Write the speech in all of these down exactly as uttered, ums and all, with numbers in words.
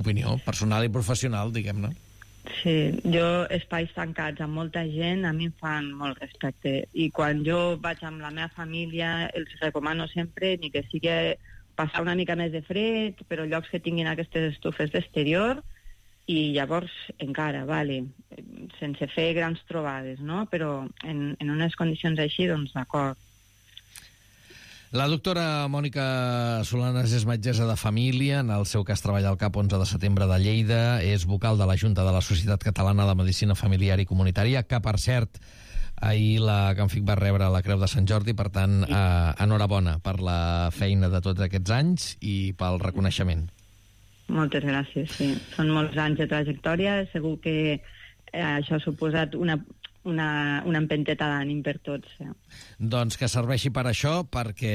opinió personal i professional, diguem-ne. Sí, jo espais tancats amb molta gent a mi em fan molt respecte, i quan jo vaig amb la meva família els recomano sempre ni que sigui passar una mica més de fred, però llocs que tinguin aquestes estufes d'exterior, i llavors encara, vale, sense fer grans trobades, no? Però en, en unes condicions així, doncs d'acord. La doctora Mònica Solanes és metgessa de família, en el seu cas treballa al CAP onze de setembre de Lleida, és vocal de la Junta de la Societat Catalana de Medicina Familiar i Comunitària, que, per cert, ahir la Canfic va rebre la Creu de Sant Jordi, per tant, eh, enhorabona per la feina de tots aquests anys i pel reconeixement. Moltes gràcies, sí. Són molts anys de trajectòria, segur que eh, això ha suposat una, una, una empenteta d'ànim per tots. Eh. Doncs que serveixi per això, perquè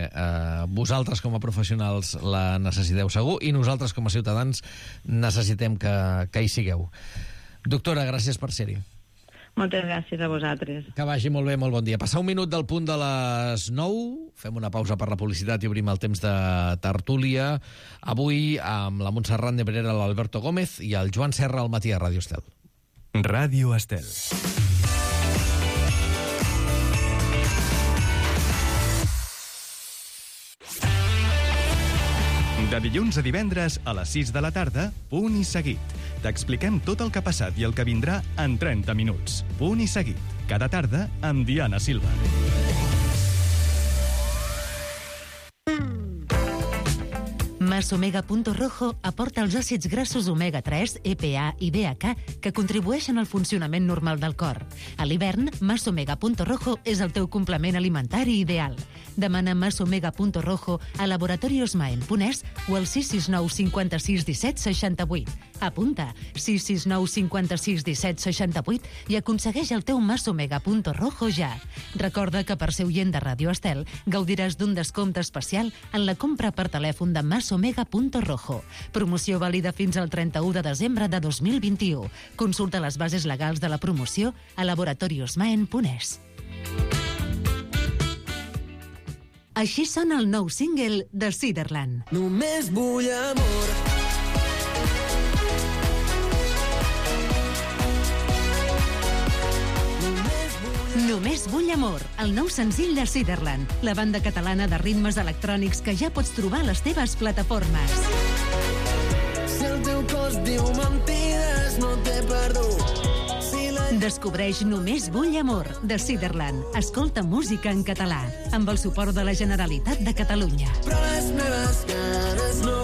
eh, vosaltres com a professionals la necessiteu segur i nosaltres com a ciutadans necessitem que, que hi sigueu. Doctora, gràcies per ser-hi. Moltes gràcies a vosaltres. Que vagi molt bé, molt bon dia. Passar un minut del punt de les nou, fem una pausa per la publicitat i obrim el temps de tertúlia. Avui amb la Montserrat Nebrera, l'Alberto Gómez i el Joan Serra al matí a Ràdio Estel. Ràdio Estel. De dilluns a divendres a les sis de la tarda, Punt i Seguit. T'expliquem tot el que ha passat i el que vindrà en trenta minuts. Punt i Seguit. Cada tarda amb Diana Silva. Masomega Punto Rojo aporta els àcids grassos omega tres, E P A i D H A que contribueixen al funcionament normal del cor. A l'hivern, Masomega Punto Rojo és el teu complement alimentari ideal. Demana Masomega Punto Rojo a Laboratorios Maen Punès o al sis sis nou cinquanta sis disset seixanta vuit. Apunta sis sis nou cinquanta sis disset seixanta vuit i aconsegueix el teu Masomega Punto Rojo ja. Recorda que per ser oient de Ràdio Estel gaudiràs d'un descompte especial en la compra per telèfon de Masomega Punto Rojo. Promoció vàlida fins al trenta-u de desembre de dos mil vint-i-u. Consulta les bases legals de la promoció a Laboratorios Maen Punès. Així sona el nou single de Ciderland. Només vull amor. Només vull amor, el nou senzill de Ciderland, la banda catalana de ritmes electrònics que ja pots trobar a les teves plataformes. Si el teu cos diu mentides, no t'he perdut. Descobreix Només vull amor, de Ciderland. Escolta música en català, amb el suport de la Generalitat de Catalunya. Però les meves cares no.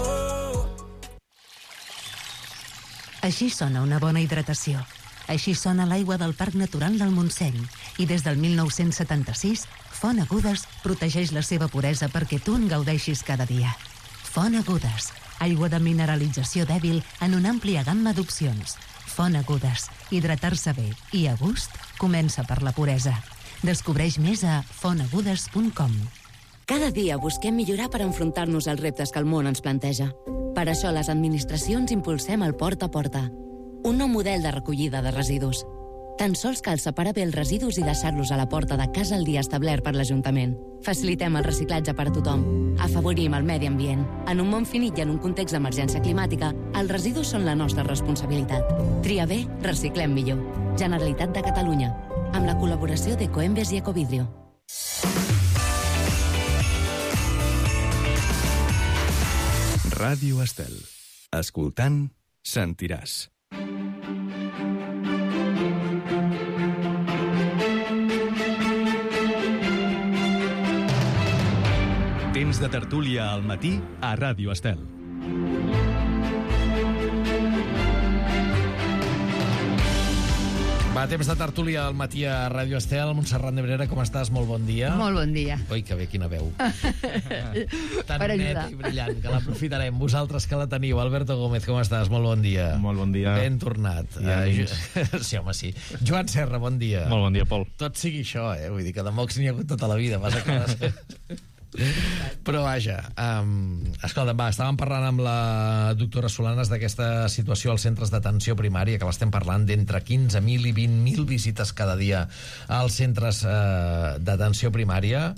Així sona una bona hidratació. Així sona l'aigua del Parc Natural del Montseny. I des del mil nou-cents setanta-sis, Font Agudes protegeix la seva puresa perquè tu en gaudeixis cada dia. Font Agudes, aigua de mineralització dèbil en una àmplia gamma d'opcions. Font Agudes, hidratar-se bé i a gust comença per la puresa. Descobreix més a font agudes punt com. Cada dia busquem millorar per enfrontar-nos als reptes que el món ens planteja. Per això les administracions impulsem el Porta a Porta, un nou model de recollida de residus. Tan sols cal separar bé els residus i deixar-los a la porta de casa el dia establert per l'Ajuntament. Facilitem el reciclatge per a tothom. Afavorim el medi ambient. En un món finit i en un context d'emergència climàtica, els residus són la nostra responsabilitat. Tria bé, reciclem millor. Generalitat de Catalunya. Amb la col·laboració d'Ecoembes i Ecovidrio. Ràdio Estel. Escoltant, sentiràs. Temps de tertúlia al matí a Ràdio Estel. Va, temps de tertúlia al matí a Ràdio Estel. Montserrat Nebrera, com estàs? Molt bon dia. Molt bon dia. Ui, que bé, quina veu. Tan neta i brillant, que l'aprofitarem. Vosaltres que la teniu. Alberto Gómez, com estàs? Molt bon dia. Molt bon dia. Ben tornat. Uh, sí, home, sí. Joan Serra, bon dia. Molt bon dia, Pol. Tot sigui això, eh? Vull dir que de mocs n'hi ha hagut tota la vida. Vas a quedar... Però vaja, um, escolta, va, estàvem parlant amb la doctora Solanes d'aquesta situació als centres d'atenció primària, que l'estem parlant d'entre quinze mil i vint mil visites cada dia als centres uh, d'atenció primària.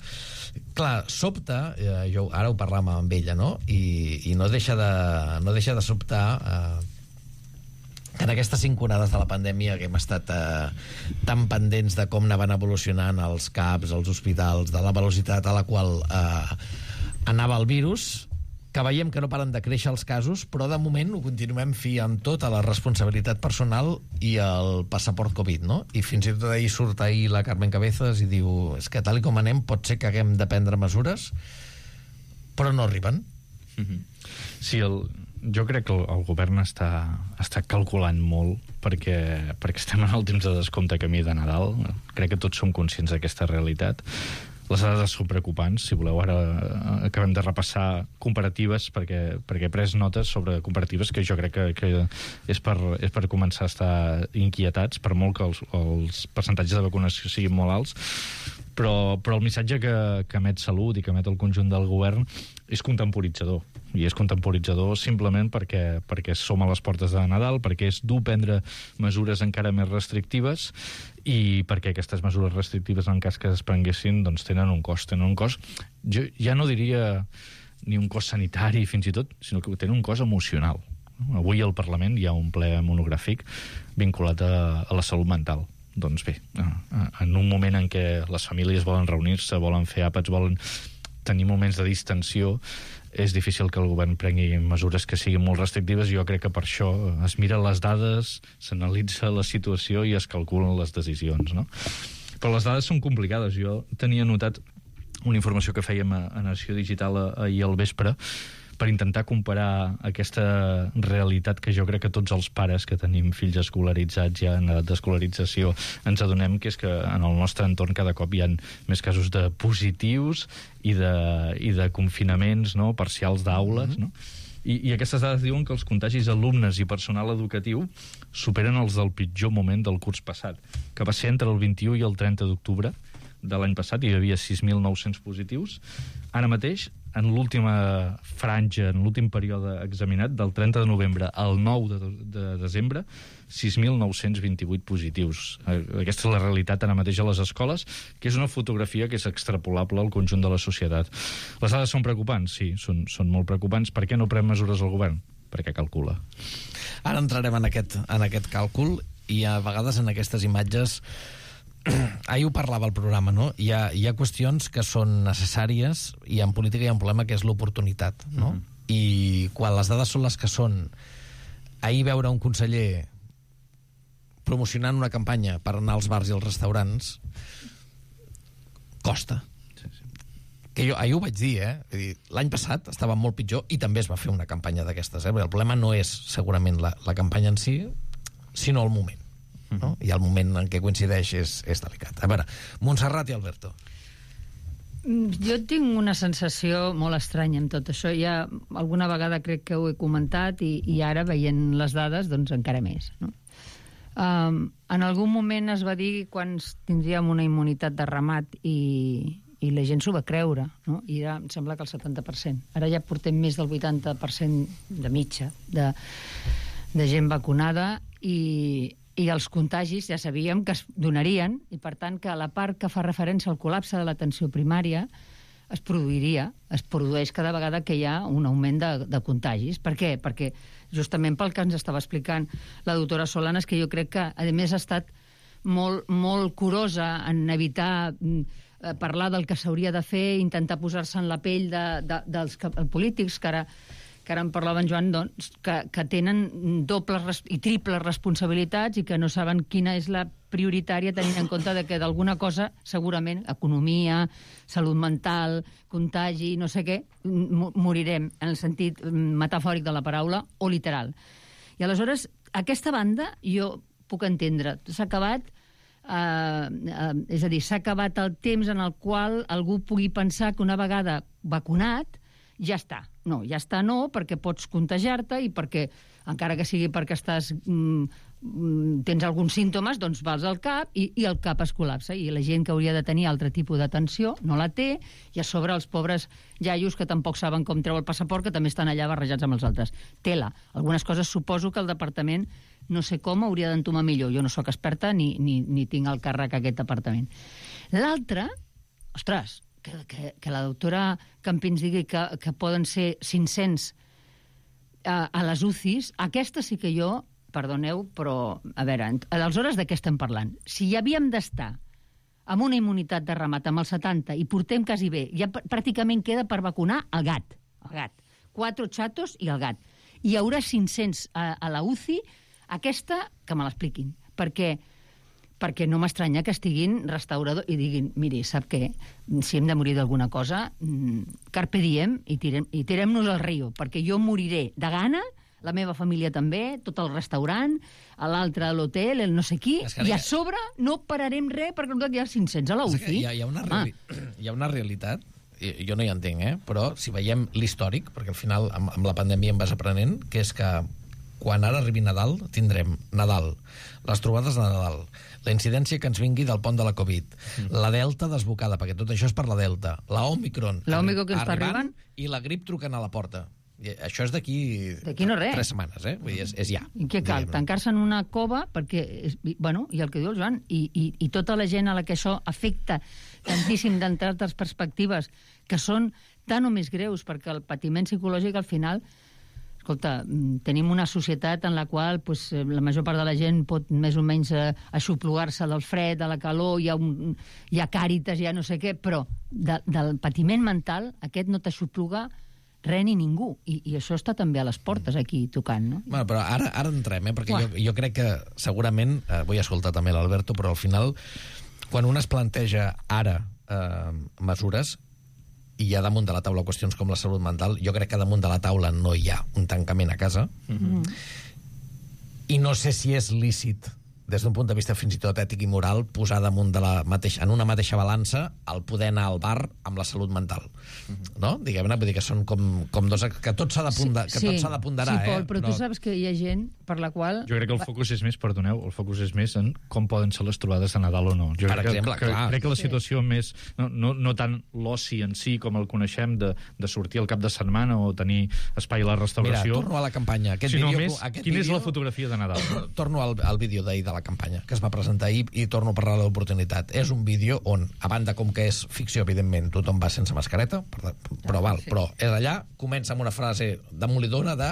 Clar, sobta, eh, jo ara ho parlàvem amb ella, no? I, i no deixa de, no deixa de sobtar eh, que en aquestes cinc onades de la pandèmia que hem estat eh, tan pendents de com anaven evolucionant els CAPs, els hospitals, de la velocitat a la qual eh, anava el virus, que veiem que no paren de créixer els casos, però de moment ho continuem fiant tot a la responsabilitat personal i al passaport Covid, no? I fins i tot ahir surt ahir la Carmen Cabezas i diu, és que tal com anem pot ser que haguem de prendre mesures, però no arriben. Mm-hmm. Sí, el, jo crec que el, el govern està, està calculant molt perquè, perquè estem en el temps de descompte camí de Nadal. Crec que tots som conscients d'aquesta realitat. Les dades són preocupants. Si voleu, ara acabem de repassar comparatives perquè, perquè he pres notes sobre comparatives que jo crec que, que és, per, és per començar a estar inquietats, per molt que els, els percentatges de vacunació siguin molt alts. Però, però el missatge que, que emet Salut i que emet el conjunt del govern és contemporitzador. I és contemporitzador simplement perquè, perquè som a les portes de Nadal, perquè és dur prendre mesures encara més restrictives i perquè aquestes mesures restrictives, en cas que es prenguessin, doncs tenen un cost. Tenen un cost, jo ja no diria ni un cost sanitari fins i tot, sinó que tenen un cost emocional. Avui al Parlament hi ha un ple monogràfic vinculat a, a la salut mental. Doncs bé, en un moment en què les famílies volen reunir-se, volen fer àpats, volen tenir moments de distensió, és difícil que el govern prengui mesures que siguin molt restrictives. Jo crec que per això es miren les dades, s'analitza la situació i es calculen les decisions, no? Però les dades són complicades. Jo tenia notat una informació que fèiem a, a Nació Digital ahir al vespre per intentar comparar aquesta realitat que jo crec que tots els pares que tenim fills escolaritzats ja en edat d'escolarització ens adonem que és que en el nostre entorn cada cop hi ha més casos de positius i de, i de confinaments, no?, parcials d'aules, no? I, I aquestes dades diuen que els contagis alumnes i personal educatiu superen els del pitjor moment del curs passat, que va ser entre el vint-i-u i el trenta d'octubre de l'any passat. Hi havia sis mil nou-cents positius. Ara mateix, en l'última franja, en l'últim període examinat, del trenta de novembre al nou de, de desembre, sis mil nou-cents vint-i-vuit positius. Aquesta és la realitat ara mateix a les escoles, que és una fotografia que és extrapolable al conjunt de la societat. Les dades són preocupants? Sí, són, són molt preocupants. Per què no pren mesures el govern? Perquè calcula. Ara entrarem en aquest, en aquest càlcul i a vegades en aquestes imatges ahir ho parlava al programa, no? Hi ha, hi ha qüestions que són necessàries i en política hi ha un problema que és l'oportunitat, no? Mm-hmm. I quan les dades són les que són, ahir veure un conseller promocionant una campanya per anar als bars i als restaurants costa. Sí, sí. Que jo ahir ho vaig dir, eh? Vull dir, l'any passat estava molt pitjor i també es va fer una campanya d'aquestes, eh? El problema no és segurament la, la campanya en si, sinó el moment. No? I el moment en què coincideix és, és delicat. A veure, Montserrat i Alberto. Jo tinc una sensació molt estranya amb tot això. Ja alguna vegada crec que ho he comentat i, i ara, veient les dades, doncs encara més, no? Um, en algun moment es va dir quan tindríem una immunitat de ramat i, i la gent s'ho va creure, no? I ara em sembla que el setanta per cent. Ara ja portem més del vuitanta per cent de mitja de, de gent vacunada i i els contagis ja sabíem que es donarien i, per tant, que la part que fa referència al col·lapse de l'atenció primària es produiria, es produeix cada vegada que hi ha un augment de, de contagis. Per què? Perquè justament pel que ens estava explicant la doctora Solanas, que jo crec que, a més, ha estat molt, molt curosa en evitar eh, parlar del que s'hauria de fer, intentar posar-se en la pell de, de, dels polítics, que ara que ara en parlava en Joan, doncs, que, que tenen dobles i triples responsabilitats i que no saben quina és la prioritària, tenint en compte de que d'alguna cosa, segurament, economia, salut mental, contagi, no sé què, morirem, en el sentit metafòric de la paraula, o literal. I aleshores, aquesta banda, jo puc entendre, s'ha acabat, eh, eh, és a dir, s'ha acabat el temps en el qual algú pugui pensar que una vegada vacunat, ja està. No, ja està no, perquè pots contagiar-te i perquè, encara que sigui perquè estàs, mm, tens alguns símptomes, doncs vas al CAP i, i el CAP es col·lapsa. I la gent que hauria de tenir altre tipus d'atenció no la té, i a sobre els pobres iaios que tampoc saben com treu el passaport, que també estan allà barrejats amb els altres. Tela. Algunes coses suposo que el departament, no sé com, hauria d'entomar millor. Jo no sóc experta ni, ni, ni tinc al càrrec aquest departament. L'altre, ostres, que, que, que la doctora Campins digui que, que poden ser cinc-cents a, a les U C Is, aquesta sí que jo, perdoneu, però, a veure, aleshores de què estem parlant? Si hi havíem d'estar amb una immunitat de ramat amb el setanta i portem quasi bé, ja pràcticament queda per vacunar el gat, el gat. Quatre xatos i el gat. I hi haurà cinc-cents a, a la U C I, aquesta, que me l'expliquin, perquè perquè no m'estranya que estiguin restauradors i diguin, miri, sap què? Si hem de morir d'alguna cosa, carpe diem i tirem, i tirem-nos al riu, perquè jo moriré de gana, la meva família també, tot el restaurant, l'altre a l'hotel, el no sé qui, i a sobre no pararem res perquè hi ha cinc-cents a la U C I. Hi ha, hi ha, una, reali hi ha una realitat, jo no hi entenc, eh? Però si veiem l'històric, perquè al final amb, amb la pandèmia em vas aprenent, que és que quan ara arribi Nadal, tindrem Nadal, les trobades de Nadal, la incidència que ens vingui del pont de la Covid, mm. la Delta desbocada, perquè tot això és per la Delta, la Omicron, la Omicron que està arribant, i la grip trucant a la porta. I això és d'aquí no tres setmanes, eh? Vull dir, és, és ja. I què cal? Tancar-se en una cova, perquè, és, bueno, i el que diu el Joan, i, i, i tota la gent a la que això afecta tantíssim d'entre altres perspectives, que són tan o més greus, perquè el patiment psicològic al final... Escolta, tenim una societat en la qual pues, la major part de la gent pot més o menys eh, aixoplugar-se del fred, de la calor, hi ha, un, hi ha càritas, hi ha no sé què, però de, del patiment mental aquest no t'aixopluga res ni ningú. I, I això està també a les portes aquí tocant, no? Bueno, però ara, ara entrem, eh? Perquè jo, jo crec que segurament, eh, vull escoltar també l'Alberto, però al final, quan un es planteja ara eh, mesures, i hi ha damunt de la taula qüestions com la salut mental, jo crec que damunt de la taula no hi ha un tancament a casa, mm-hmm. i no sé si és lícit des d'un punt de vista fins i tot ètic i moral posar damunt de la mateixa, en una mateixa balança el poder anar al bar amb la salut mental, mm-hmm. no? Diguem-ne, vull dir que són com, com dos... que tot s'ha de, ponda, que sí, tot s'ha de ponderar, sí, Pol, eh? però no... tu saps que hi ha gent per la qual... Jo crec que el focus és més, perdoneu, el focus és més en com poden ser les trobades de Nadal o no. Jo per crec exemple, que, clar. crec que la situació sí. més... No, no, no tant l'oci en si com el coneixem de, de sortir al cap de setmana o tenir espai a la restauració... Mira, torno a la campanya. Aquest sinó vídeo, més, aquest quina vídeo, és la fotografia de Nadal? Torno al, al vídeo d'ahir de la campanya, que es va presentar ahir, i torno a parlar de l'oportunitat. És un vídeo on, a banda com que és ficció, evidentment, tothom va sense mascareta, però val, sí. però és allà, comença amb una frase demolidora de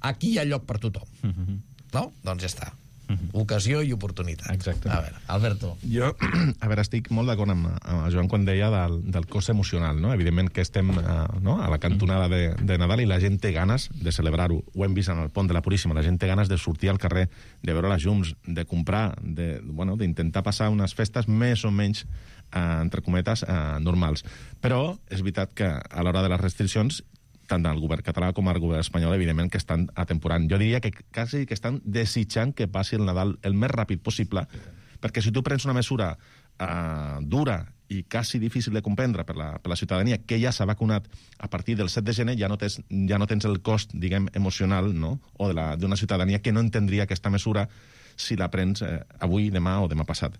aquí hi ha lloc per tothom. Mm-hmm. No? Doncs ja està. Mm-hmm. Ocasió i oportunitat. Exacte. A veure, Alberto. Jo, a veure, estic molt d'acord amb, amb Joan quan deia del, del cos emocional, no? Evidentment que estem uh, no? a la cantonada de, de Nadal i la gent té ganes de celebrar-ho. Ho hem vist en el pont de la Puríssima. La gent té ganes de sortir al carrer, de veure les llums, de comprar, de, bueno, d'intentar passar unes festes més o menys, uh, entre cometes, uh, normals. Però és veritat que a l'hora de les restriccions tant el govern català com el govern espanyol, evidentment, que estan atemporant. Jo diria que quasi que estan desitjant que passi el Nadal el més ràpid possible, perquè si tu prens una mesura uh, dura i quasi difícil de comprendre per la, per la ciutadania, que ja s'ha vacunat a partir del set de gener, ja no tens, ja no tens el cost, diguem, emocional, no?, o d'una ciutadania que no entendria aquesta mesura si la prens eh, avui, demà o demà passat.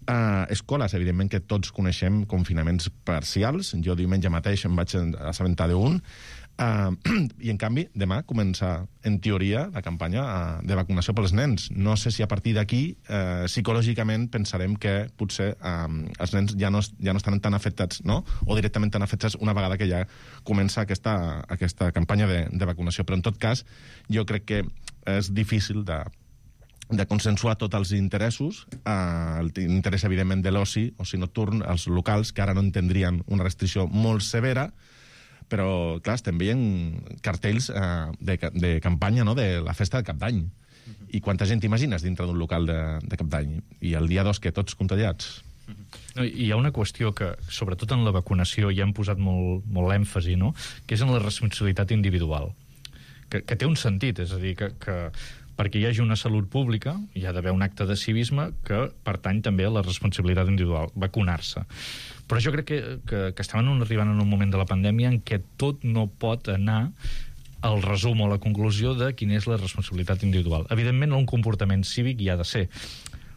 Uh, escoles, evidentment que tots coneixem confinaments parcials. Jo diumenge mateix em vaig assabentar d'un. Uh, I, en canvi, demà comença, en teoria, la campanya uh, de vacunació pels nens. No sé si a partir d'aquí, uh, psicològicament, pensarem que potser uh, els nens ja no, ja no estan tan afectats, no?, o directament tan afectats una vegada que ja comença aquesta, aquesta campanya de, de vacunació. Però, en tot cas, jo crec que és difícil de de consensuar tots els interessos, eh, l'interès, evidentment, de l'oci, oci nocturn, els locals, que ara no entendrien una restricció molt severa, però, clar, estem veient cartells eh, de, de campanya, no?, de la festa de Cap d'Any. Uh-huh. I quanta gent t'imagines dintre d'un local de, de Cap d'Any? I el dia dos, que tots contagiats? No, hi ha una qüestió que, sobretot en la vacunació, ja hem posat molt, molt èmfasi, no?, que és en la responsabilitat individual, que, que té un sentit, és a dir, que, que perquè hi hagi una salut pública hi ha d'haver un acte de civisme que pertany també a la responsabilitat individual, vacunar-se. Però jo crec que, que, que estem arribant en un moment de la pandèmia en què tot no pot anar al resum o a la conclusió de quina és la responsabilitat individual. Evidentment, un comportament cívic hi ha de ser,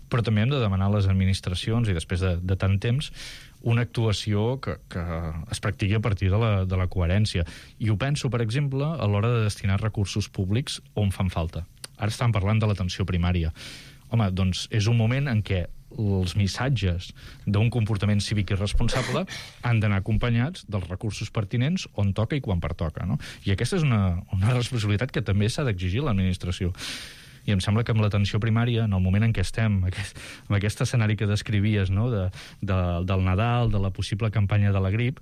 però també hem de demanar a les administracions, i després de, de tant temps, una actuació que, que es practiqui a partir de la, de la coherència. I ho penso, per exemple, a l'hora de destinar recursos públics on fan falta. Ara estan parlant de l'atenció primària. Home, doncs és un moment en què els missatges d'un comportament cívic i responsable han d'anar acompanyats dels recursos pertinents on toca i quan pertoca, no? I aquesta és una, una responsabilitat que també s'ha d'exigir l'administració. I em sembla que amb l'atenció primària, en el moment en què estem, aquest, amb aquest escenari que descrivies, no? de, de, del Nadal, de la possible campanya de la grip,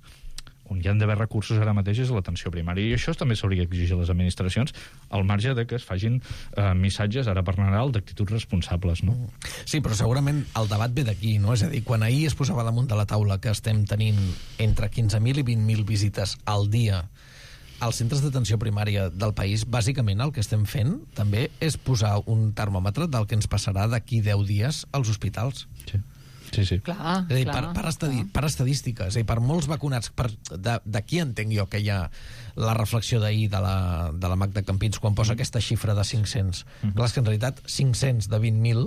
on hi han d'haver recursos ara mateix és l'atenció primària. I això també s'hauria d'exigir a les administracions, al marge de que es facin eh, missatges, ara per Nadal, d'actituds responsables, no? Sí, però segurament el debat ve d'aquí, no? És a dir, quan ahir es posava damunt de la taula que estem tenint entre quinze mil i vint mil visites al dia als centres d'atenció primària del país, bàsicament el que estem fent també és posar un termòmetre del que ens passarà d'aquí deu dies als hospitals. Sí. Sí, sí. Clar, és a dir, clar, per, per, estadi per estadístiques, és a dir, per molts vacunats, d'aquí entenc jo que hi ha la reflexió d'ahir de, la, de la Magda Campins quan posa mm. aquesta xifra de cinc-cents. Mm. Clar, és que en realitat cinc-cents de vint mil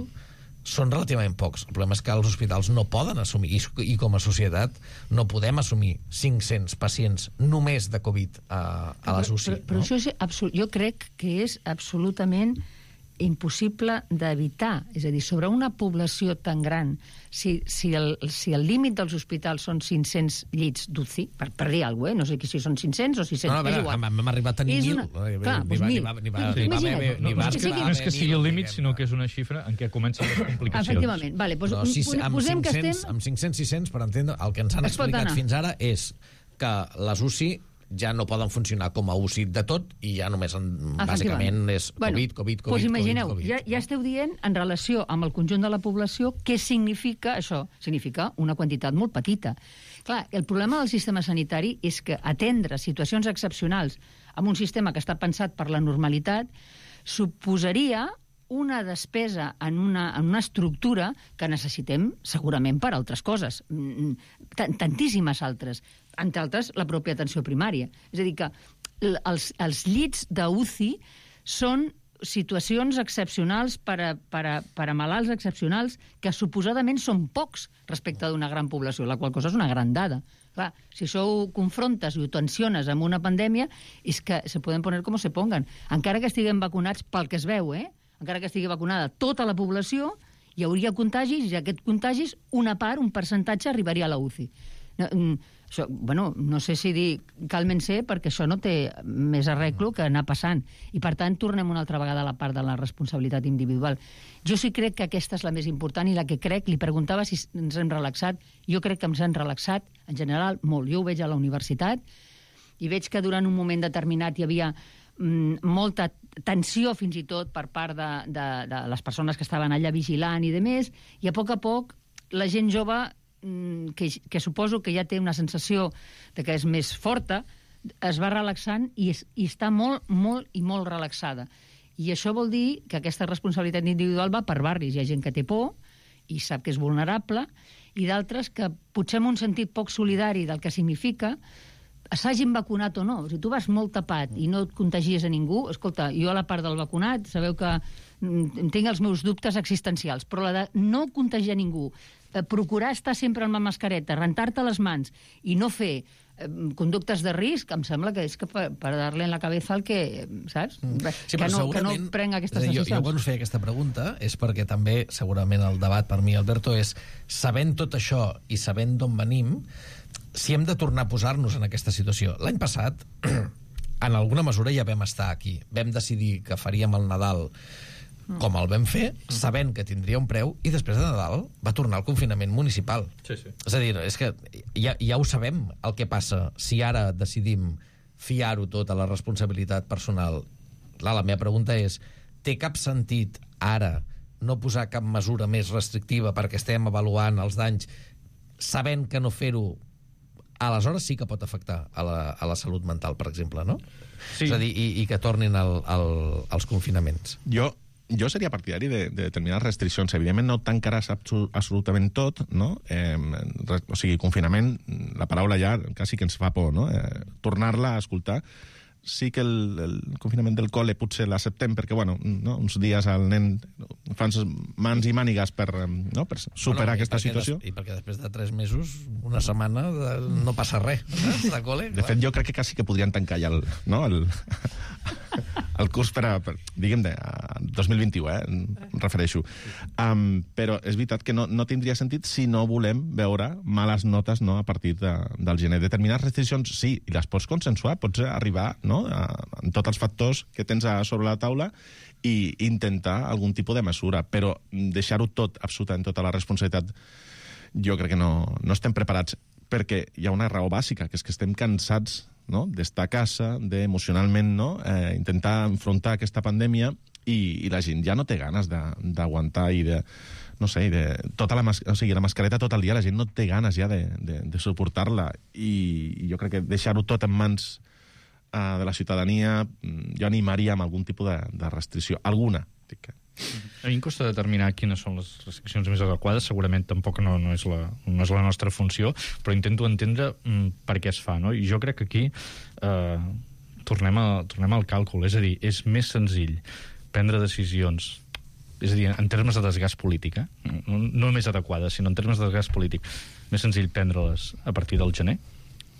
són relativament pocs. El problema és que els hospitals no poden assumir, i, i com a societat no podem assumir cinc-cents pacients només de Covid a, a les U C I. Però, però, però no? això és absolut, jo crec que és absolutament impossible d'evitar. És a dir, sobre una població tan gran, si, si el si el límit dels hospitals són cinc-cents llits d'U C I, per, per dir alguna cosa, eh? No sé si són cinc-cents o sis-cents, no, no, és igual. Hem arribat a tenir mil. Clar, doncs mil. No és que sigui el límit, sinó que és una xifra en què comencen les complicacions. Efectivament. Vale, doncs, no, si, amb posem que estem... Amb cinc-cents sis-cents, per entendre, el que ens han explicat fins ara és que les U C I ja no poden funcionar com a U C I de tot i ja només, en, bàsicament, és COVID, bueno, COVID, COVID, doncs imagineu, COVID, COVID. Ja, ja esteu dient, en relació amb el conjunt de la població, què significa això? Significa una quantitat molt petita. Clar, el problema del sistema sanitari és que atendre situacions excepcionals amb un sistema que està pensat per la normalitat suposaria una despesa en una, en una estructura que necessitem segurament per altres coses, tantíssimes altres, entre altres la pròpia atenció primària. És a dir, que els, els llits d'U C I són situacions excepcionals per a, per, a, per a malalts excepcionals que suposadament són pocs respecte d'una gran població, la qual cosa és una gran dada. Clar, si això ho confrontes i ho tensiones amb una pandèmia, és que se poden poner com se pongan. Encara que estiguem vacunats pel que es veu, eh? Encara que estigui vacunada tota la població, hi hauria contagis i aquest contagis, una part, un percentatge, arribaria a la U C I. No, això, bueno, no sé si dir càlmense, perquè això no té més arreglo que anar passant. I, per tant, tornem una altra vegada a la part de la responsabilitat individual. Jo sí crec que aquesta és la més important i la que crec, li preguntava si ens hem relaxat, jo crec que ens hem relaxat, en general, molt. Jo ho veig a la universitat i veig que durant un moment determinat hi havia mm, molta tensió, fins i tot, per part de, de, de les persones que estaven allà vigilant i de més, i a poc a poc la gent jove Que, que suposo que ja té una sensació de que és més forta, es va relaxant i, es, i està molt, molt i molt relaxada. I això vol dir que aquesta responsabilitat individual va per barris. Hi ha gent que té por i sap que és vulnerable, i d'altres que potser amb un sentit poc solidari del que significa, s'hagin vacunat o no. Si tu vas molt tapat i no et contagies a ningú, escolta, jo a la part del vacunat, sabeu que tinc els meus dubtes existencials, però la de no contagiar ningú, procurar estar sempre amb la mascareta, rentar-te les mans i no fer eh, conductes de risc, em sembla que és que per, per dar-li en la cabeza el que, saps? Sí, que, no, que no prenc aquestes dir, decisions. Jo, jo quan us feia aquesta pregunta és perquè també, segurament, el debat per mi, Alberto, és sabent tot això i sabent d'on venim, si hem de tornar a posar-nos en aquesta situació. L'any passat, en alguna mesura ja vam estar aquí. Vam decidir que faríem el Nadal com el vam fer, sabent que tindria un preu, i després de Nadal va tornar al confinament municipal. Sí, sí. És a dir, és que ja, ja ho sabem el que passa si ara decidim fiar-ho tot a la responsabilitat personal. Clar, la meva pregunta és, té cap sentit ara no posar cap mesura més restrictiva perquè estem avaluant els danys sabent que no fer-ho aleshores sí que pot afectar a la, a la salut mental, per exemple, no? Sí. És a dir, i, i que tornin al, al, als confinaments. Jo Jo seria partidari de, de determinades restriccions. Evidentment no tancaràs absolutament tot, no? Eh, o sigui, confinament, la paraula ja quasi que ens fa por, no? Eh, tornar-la a escoltar. Sí que el, el confinament del col·le potser l'acceptem perquè, bueno, no? Uns dies al nen fan mans i mànigues per, no? per superar bueno, aquesta situació. Des, I perquè després de tres mesos, una setmana, no passa res de col·le. De fet, jo crec que quasi que podrien tancar ja el... No? el el curs per a, per, diguem, de dos mil vint-i-u, eh, em refereixo. Um, però és veritat que no, no tindria sentit si no volem veure males notes, no, a partir de, del gener. Determinades restriccions, sí, i les pots consensuar, pots arribar, no, a, amb tots els factors que tens a sobre la taula i intentar algun tipus de mesura, però deixar-ho tot, absolutament tota la responsabilitat, jo crec que no, no estem preparats, perquè hi ha una raó bàsica, que és que estem cansats, no?, d'estar a casa, d'emocionalment, no?, eh, intentar enfrontar aquesta pandèmia i, i la gent ja no té ganes d'aguantar i de, no sé, de, tota la, mas o sigui, la mascareta tot el dia, la gent no té ganes ja de, de, de suportar-la i, i jo crec que deixar-ho tot en mans uh, de la ciutadania, jo animaria amb algun tipus de, de restricció, alguna, dic que... A mi em costa determinar quines són les restriccions més adequades, segurament tampoc no, no, és, la, no és la nostra funció, però intento entendre mm, per què es fa, no? I jo crec que aquí eh, tornem, a, tornem al càlcul, és a dir, és més senzill prendre decisions, és a dir, en termes de desgast polític, eh? no, no més adequades, sinó en termes de desgast polític, més senzill prendre-les a partir del gener,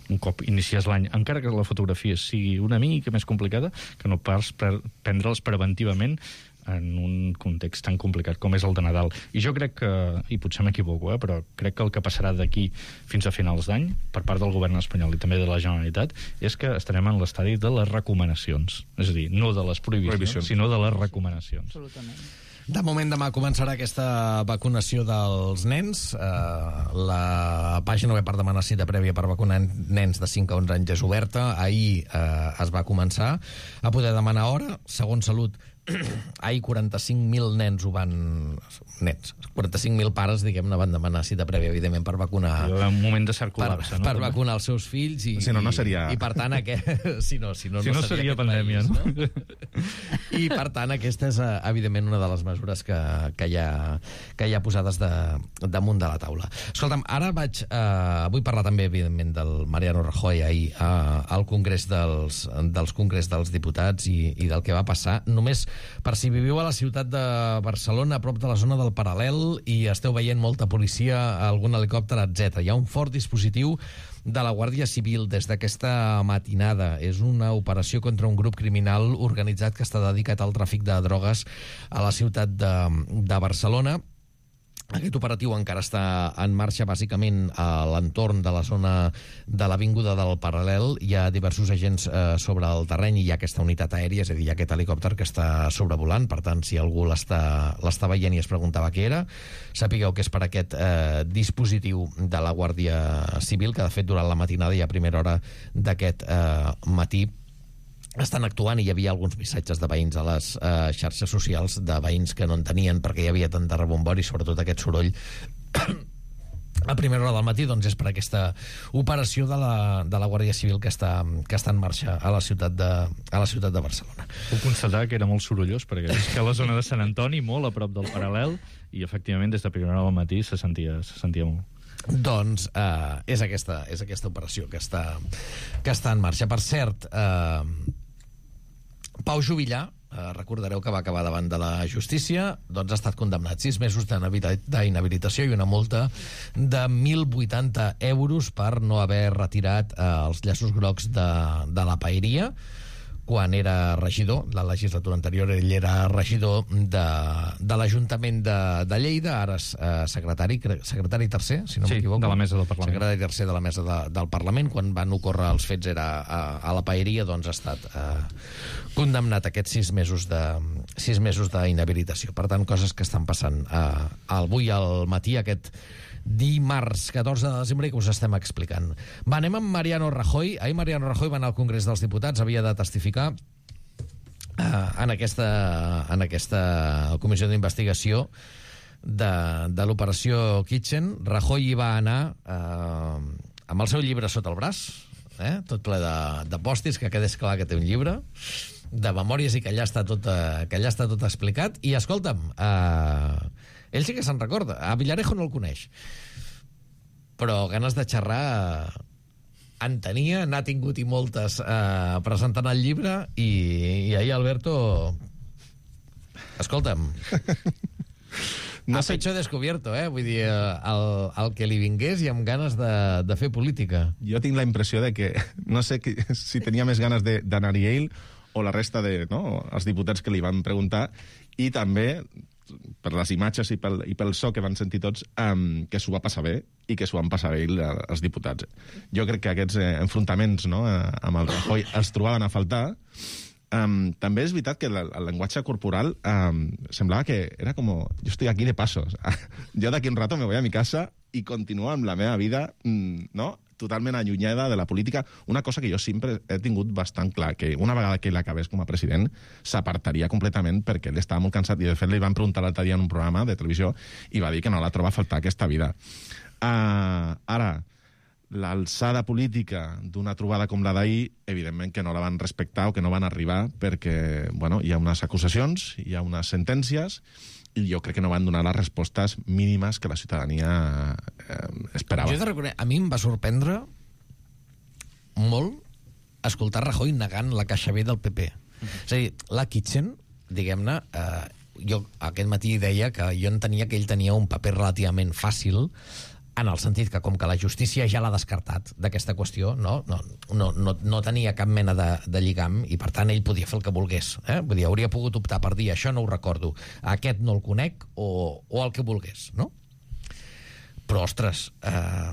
un cop inicies l'any, encara que la fotografia sigui una mica més complicada, que no pas prendre'ls preventivament en un context tan complicat com és el de Nadal. I jo crec que, i potser m'equivoco, eh, però crec que el que passarà d'aquí fins a finals d'any, per part del govern espanyol i també de la Generalitat, és que estarem en l'estadi de les recomanacions. És a dir, no de les prohibicions, prohibicions. sinó de les recomanacions. Absolutament. De moment, demà començarà aquesta vacunació dels nens. Uh, la pàgina web per demanar cita prèvia per vacunar nens de cinc a onze anys és oberta. Ahir uh, es va començar a poder demanar hora. Segons Salut, ahir quaranta-cinc mil nens ho van... Nens, quaranta-cinc mil pares, diguem-ne, van demanar cita prèvia, evidentment, per vacunar... Un moment de cert col·lapse, per, no? Per vacunar els seus fills i... Si no, no seria... I, i per tant, aquest... si no, si no, si no, no seria, seria pandèmia, país, no? I, per tant, aquesta és, evidentment, una de les mesures que, que, hi, ha, que hi ha posades de, damunt de la taula. Escolta'm, ara vaig... Eh, vull parlar també, evidentment, del Mariano Rajoy ahir eh, al Congrés dels, dels Congrés dels Diputats i, i del que va passar. Només per si viviu a la ciutat de Barcelona, a prop de la zona del Paral·lel, i esteu veient molta policia, algun helicòpter, etcètera. Hi ha un fort dispositiu de la Guàrdia Civil des d'aquesta matinada. És una operació contra un grup criminal organitzat que està dedicat al tràfic de drogues a la ciutat de, de Barcelona. Aquest operatiu encara està en marxa, bàsicament a l'entorn de la zona de l'Avinguda del Paral·lel. Hi ha diversos agents eh, sobre el terreny i hi ha aquesta unitat aèria, és a dir, hi ha aquest helicòpter que està sobrevolant. Per tant, si algú l'està l'està veient i es preguntava què era, sapigueu que és per aquest eh, dispositiu de la Guàrdia Civil, que de fet durant la matinada i a primera hora d'aquest eh, matí estan actuant, i hi havia alguns missatges de veïns a les eh, xarxes socials, de veïns que no en tenien perquè hi havia tant de rebombori, sobretot aquest soroll a primera hora del matí. Doncs és per aquesta operació de la, de la Guàrdia Civil que està, que està en marxa a la ciutat de, a la ciutat de Barcelona. Puc constatar que era molt sorollós, perquè és que a la zona de Sant Antoni, molt a prop del Paral·lel, i efectivament des de primera hora del matí se sentia, se sentia molt. Doncs eh, és, aquesta, és aquesta operació que està, que està en marxa. Per cert, eh, Pau Juvillà, eh, recordareu que va acabar davant de la justícia, doncs ha estat condemnat sis mesos d'inhabilitació i una multa de mil vuitanta euros per no haver retirat eh, els llaços grocs de, de la paeria quan era regidor. La legislatura anterior ell era regidor de, de l'Ajuntament de, de Lleida, ara és eh, secretari, secretari tercer, si no sí, m'equivoco. de la mesa del Parlament. Secretari tercer de la mesa de, del Parlament. Quan van ocórrer els fets era a, a la paeria, doncs ha estat eh, condemnat a aquests sis mesos de sis mesos d'inhabilitació. Per tant, coses que estan passant eh, avui al matí, aquest dimarts catorze de desembre, que us estem explicant. Va, anem amb Mariano Rajoy. Ahir Mariano Rajoy va anar al Congrés dels Diputats, havia de testificar eh, en, aquesta, en aquesta comissió d'investigació de, de l'operació Kitchen. Rajoy hi va anar eh, amb el seu llibre sota el braç, eh, tot ple de, de pòstits, que quedés clar que té un llibre de memòries i que allà està tot, eh, que allà està tot explicat. I escolta'm, eh, ell sí que se'n recorda. A Villarejo no el coneix, però ganes de xerrar en tenia, n'ha tingut i moltes eh, presentant el llibre, i, i ahir Alberto, escolta'm, no ha sé... pecho descobierto, eh? Vull dir, el, el que li vingués i amb ganes de, de fer política. Jo tinc la impressió de que, no sé que, si tenia més ganes d'anar-hi ell o la resta de, no, els diputats que li van preguntar, i també per les imatges i pel, i pel so que van sentir tots, um, que s'ho va passar bé i que s'ho van passar bé els diputats. Jo crec que aquests eh, enfrontaments, no, eh, amb el Rajoy els trobaven a faltar. Um, també és veritat que la, el llenguatge corporal um, semblava que era com... Jo estoy aquí de pasos. Jo d'aquí un rato me voy a mi casa i continuo amb la meva vida, mm, no?, totalment allunyada de la política. Una cosa que jo sempre he tingut bastant clar, que una vegada que ell acabés com a president s'apartaria completament perquè ell estava molt cansat, i de fet li van preguntar l'altre dia en un programa de televisió i va dir que no la troba a faltar aquesta vida. Uh, ara, l'alçada política d'una trobada com la d'ahir, evidentment que no la van respectar o que no van arribar perquè, bueno, hi ha unes acusacions, hi ha unes sentències, i jo crec que no van donar les respostes mínimes que la ciutadania eh, esperava. Jo he de reconèixer, a mi em va sorprendre molt escoltar Rajoy negant la caixa B del P P. Uh-huh. És a dir, la Kitchen, diguem-ne, eh, jo aquest matí deia que jo entenia que ell tenia un paper relativament fàcil, en el sentit que, com que la justícia ja l'ha descartat d'aquesta qüestió, no, no, no, no, no tenia cap mena de, de lligam, i per tant ell podia fer el que volgués. Eh? Vull dir, hauria pogut optar per dir això no ho recordo, aquest no el conec, o, o el que volgués, no? Però, ostres, eh,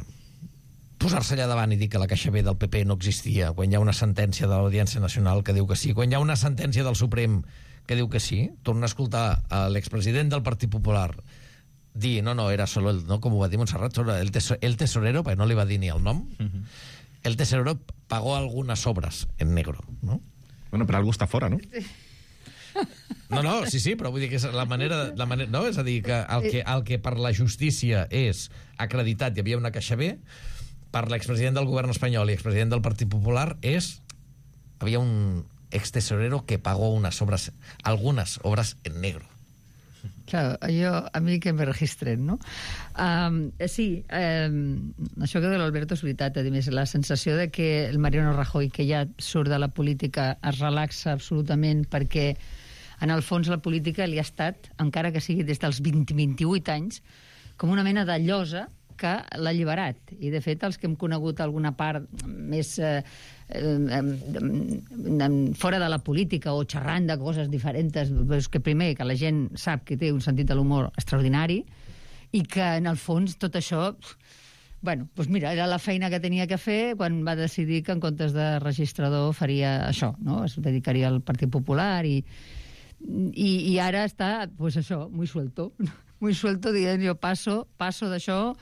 posar-se allà davant i dir que la caixa B del P P no existia, quan hi ha una sentència de l'Audiència Nacional que diu que sí, quan hi ha una sentència del Suprem que diu que sí, torna a escoltar a l'expresident del Partit Popular dir, no, no, era solo el, no, com ho va dir Montserrat, el, teso, el tesorero, perquè no li va dir ni el nom, uh-huh. El tesorero pagó algunas obras en negro, no? Bueno, però algú està fora, no? No, no, sí, sí, però vull dir que és la manera, la manera no? És a dir, que el, que el que per la justícia és acreditat, hi havia una caixa B, per l'expresident del govern espanyol i expresident del Partit Popular és, havia un extesorero que pagó unas obras, algunas obras en negro. Claro, jo, a mi que me registren, no? Um, sí, um, això que de l'Alberto és veritat, a més, la sensació de que el Mariano Rajoy, que ja surt de la política, es relaxa absolutament perquè, en el fons, la política li ha estat, encara que sigui des dels vint a vint-i-vuit anys, com una mena de llosa que l'ha alliberat. I, de fet, els que hem conegut alguna part més eh, eh, fora de la política o xerrant de coses diferents, és que primer que la gent sap que té un sentit de l'humor extraordinari i que, en el fons, tot això... Bueno, doncs mira, era la feina que tenia que fer quan va decidir que en comptes de registrador faria això, no? Es dedicaria al Partit Popular i, i, i ara està, pues això, muy suelto, muy suelto dient jo passo, passo d'això,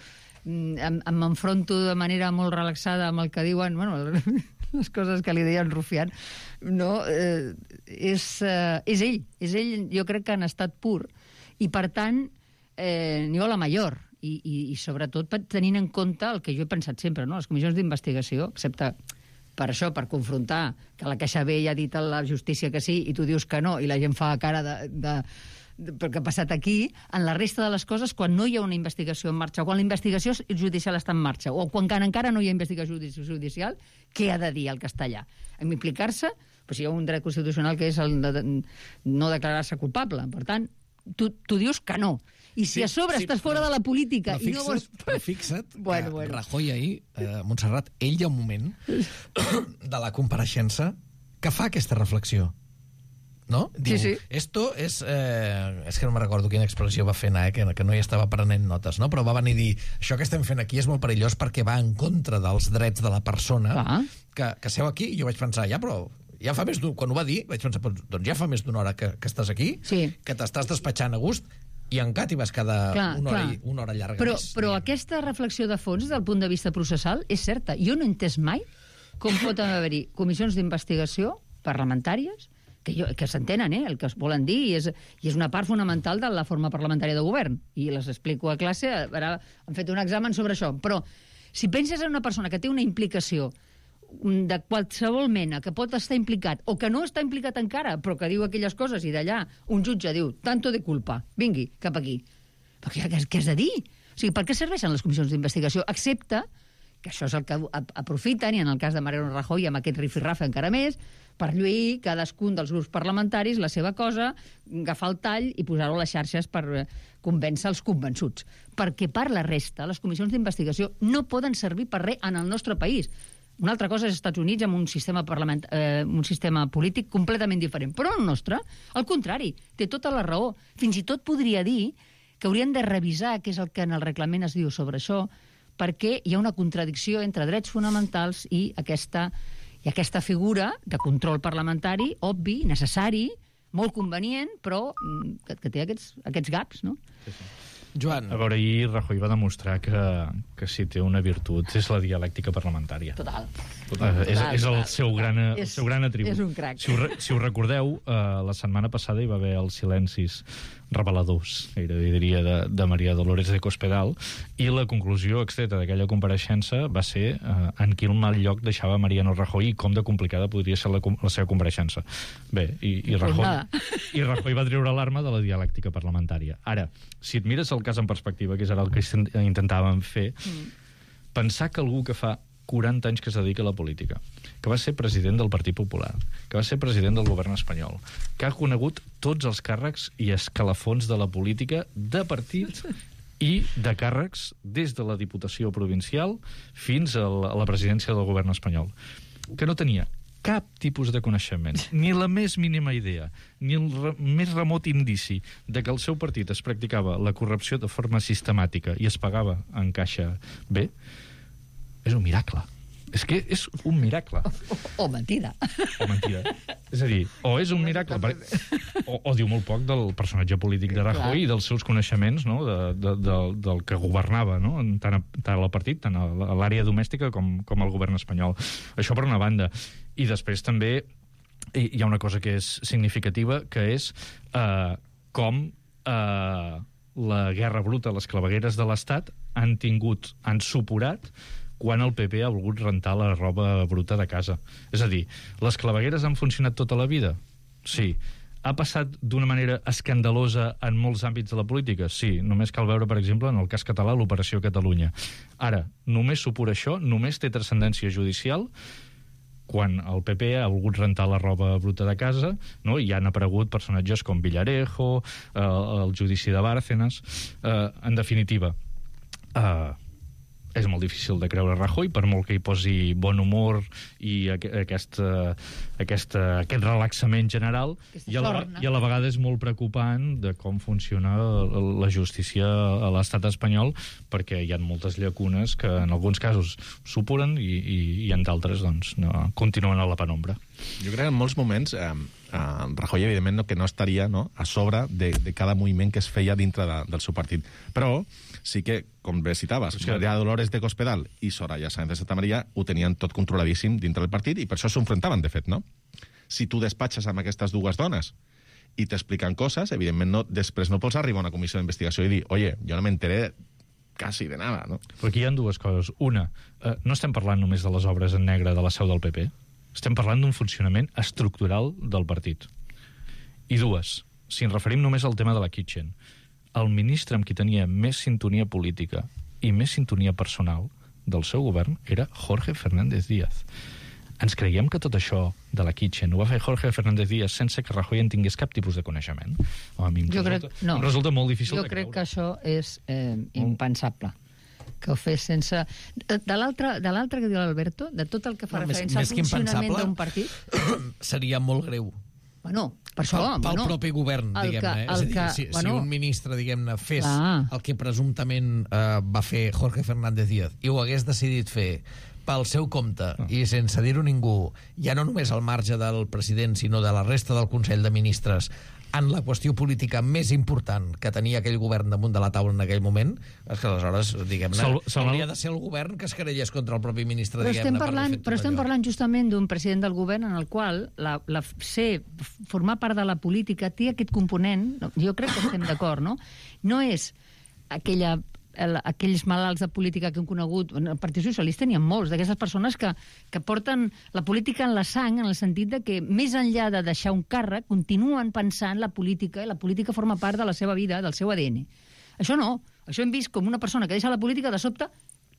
em, em enfronto de manera molt relaxada amb el que diuen, bueno, les coses que li deien Rufián, no? Eh, és, eh, és ell, és ell, jo crec que en estat pur, i per tant, eh, ni la major, i, i, i sobretot tenint en compte el que jo he pensat sempre, no? Les comissions d'investigació, excepte per això, per confrontar que la Caixa B ja ha dit a la justícia que sí i tu dius que no, i la gent fa cara de... de pel que ha passat aquí, en la resta de les coses, quan no hi ha una investigació en marxa, o quan la investigació judicial està en marxa, o quan encara no hi ha investigació judicial, què ha de dir el castellà? En implicar-se, doncs hi ha un dret constitucional que és el de no declarar-se culpable. Per tant, tu, tu dius que no. I si sí, a sobre sí, estàs fora de la política i no vols... Però fixa't bueno, que bueno. Rajoy ahir, eh, Montserrat, ell hi ha un moment de la compareixença que fa aquesta reflexió. No? Diu, sí, sí. Esto es... Eh, és que no me recordo quina expressió va fer anar, eh, que, que no hi estava prenent notes, no? Però va venir a dir, això que estem fent aquí és molt perillós perquè va en contra dels drets de la persona ah. que, que seu aquí. I jo vaig pensar, ja, però ja fa més d'un... Quan ho va dir, vaig pensar, doncs ja fa més d'una hora que, que estàs aquí, sí. que t'estàs despatxant a gust, i encara t'hi vas quedar clar, una, hora, clar. una hora llarga però, més. Però aquesta reflexió de fons, des del punt de vista processal, és certa. Jo no he entès mai com pot haver-hi comissions d'investigació parlamentàries que, jo, que s'entenen, eh, el que es volen dir, i és, i és una part fonamental de la forma parlamentària de govern. I les explico a classe, ara han fet un examen sobre això. Però si penses en una persona que té una implicació de qualsevol mena, que pot estar implicat, o que no està implicat encara, però que diu aquelles coses, i d'allà un jutge diu, tanto de culpa, vingui, cap aquí. Però què, què has de dir? O sigui, per què serveixen les comissions d'investigació? Excepte que això és el que aprofiten, i en el cas de Mariano Rajoy, amb aquest rifirrafe encara més, per lluir cadascun dels grups parlamentaris la seva cosa, agafar el tall i posar-ho a les xarxes per convèncer els convençuts. Perquè per la resta, les comissions d'investigació no poden servir per res en el nostre país. Una altra cosa és als Estats Units amb un sistema, parlament, eh, un sistema polític completament diferent. Però el nostre, al contrari, té tota la raó. Fins i tot podria dir que haurien de revisar què és el que en el reglament es diu sobre això, perquè hi ha una contradicció entre drets fonamentals i aquesta, i aquesta figura de control parlamentari, obvi, necessari, molt convenient, però que, que té aquests, aquests gaps, no? Sí, sí. Joan. A veure, ahir Rajoy va demostrar que, que si té una virtut és la dialèctica parlamentària. Total. Total, és, és el seu gran, el és, seu gran atribut. És un crac. Si ho, si ho recordeu, uh, la setmana passada hi va haver els silencis reveladors, gairebé diria, de, de Maria Dolores de Cospedal, i la conclusió extreta d'aquella compareixença va ser uh, en quin mal lloc deixava Mariano Rajoy i com de complicada podria ser la, la seva compareixença. Bé, i, i, Rajoy, i Rajoy va treure l'arma de la dialèctica parlamentària. Ara, si et mires el cas en perspectiva, que és ara el que intentàvem fer, mm. pensar que algú que fa quaranta anys que es dedica a la política, que va ser president del Partit Popular, que va ser president del govern espanyol, que ha conegut tots els càrrecs i escalafons de la política de partit i de càrrecs des de la Diputació Provincial fins a la, a la presidència del govern espanyol, que no tenia cap tipus de coneixement, ni la més mínima idea, ni el re més remot indici de que el seu partit es practicava la corrupció de forma sistemàtica i es pagava en caixa bé, és un miracle. És que és un miracle. O, o mentida. O mentida. És a dir, o és un miracle, per... o, o diu molt poc del personatge polític de Rajoy i dels seus coneixements, no?, de, de, de, del que governava, no?, tant, a, tant al partit, tant a l'àrea domèstica com, com al govern espanyol. Això per una banda. I després també hi ha una cosa que és significativa, que és eh, com eh, la guerra bruta, les clavegueres de l'Estat han tingut, han supurat quan el P P ha volgut rentar la roba bruta de casa. És a dir, les clavegueres han funcionat tota la vida? Sí. Ha passat d'una manera escandalosa en molts àmbits de la política? Sí. Només cal veure, per exemple, en el cas català, l'Operació Catalunya. Ara, només supura això, només té transcendència judicial quan el P P ha volgut rentar la roba bruta de casa, no? I han aparegut personatges com Villarejo, eh, el judici de Bárcenas. Eh, en definitiva, eh, és molt difícil de creure Rajoy, per molt que hi posi bon humor i aquest, aquest, aquest relaxament general, i a, la, i a la vegada és molt preocupant de com funciona la justícia a l'estat espanyol, perquè hi ha moltes llacunes que en alguns casos supuren i, i, i en d'altres doncs, no, continuen a la penombra. Jo crec que en molts moments eh, eh, Rajoy evidentment no, que no estaria, no, a sobre de, de cada moviment que es feia dintre de, del seu partit, però sí que, com bé citaves, sí, Maria Dolores de Cospedal i Soraya Sáenz de Santamaría ho tenien tot controladíssim dintre del partit i per això s'enfrontaven, de fet, no? Si tu despatxes amb aquestes dues dones i t'expliquen coses, evidentment no, després no pots arribar a una comissió d'investigació i dir, oye, jo no m'enteré quasi de nada, no? Però aquí hi ha dues coses. Una, eh, no estem parlant només de les obres en negre de la seu del P P, estem parlant d'un funcionament estructural del partit. I dues, si ens referim només al tema de la Kitchen, el ministre amb qui tenia més sintonia política i més sintonia personal del seu govern era Jorge Fernández Díaz. Ens creiem que tot això de la Kitchen ho va fer Jorge Fernández Díaz sense que Rajoy en tingués cap tipus de coneixement? Home, a mi em, jo resulta, crec, no. em resulta molt difícil jo de creure. Jo crec que això és eh, impensable. Que ho fes sense... De l'altre que diu l'Alberto, de tot el que fa no, referència més, al funcionament d'un partit... Seria molt greu. Bueno, per això... Pel, pel bueno, propi govern, diguem-ne. Eh? És a dir, que, si, bueno, si un ministre, diguem-ne, fes ah. el que presumptament eh, va fer Jorge Fernández Díaz i ho hagués decidit fer pel seu compte ah. i sense dir-ho ningú, ja no només al marge del president, sinó de la resta del Consell de Ministres, en la qüestió política més important que tenia aquell govern damunt de la taula en aquell moment, és que aleshores, diguem-ne, hauria de ser el govern que es querellés contra el propi ministre, però diguem-ne, estem parlant, per Però estem allò. parlant justament d'un president del govern en el qual la, la, ser, formar part de la política té aquest component, jo crec que estem d'acord, no? No és aquella... El, aquells malalts de política que hem conegut, el Partit Socialista n'hi ha molts, d'aquestes persones que, que porten la política en la sang, en el sentit de que més enllà de deixar un càrrec, continuen pensant la política, i la política forma part de la seva vida, del seu A D N. Això no, això hem vist com una persona que deixa la política de sobte,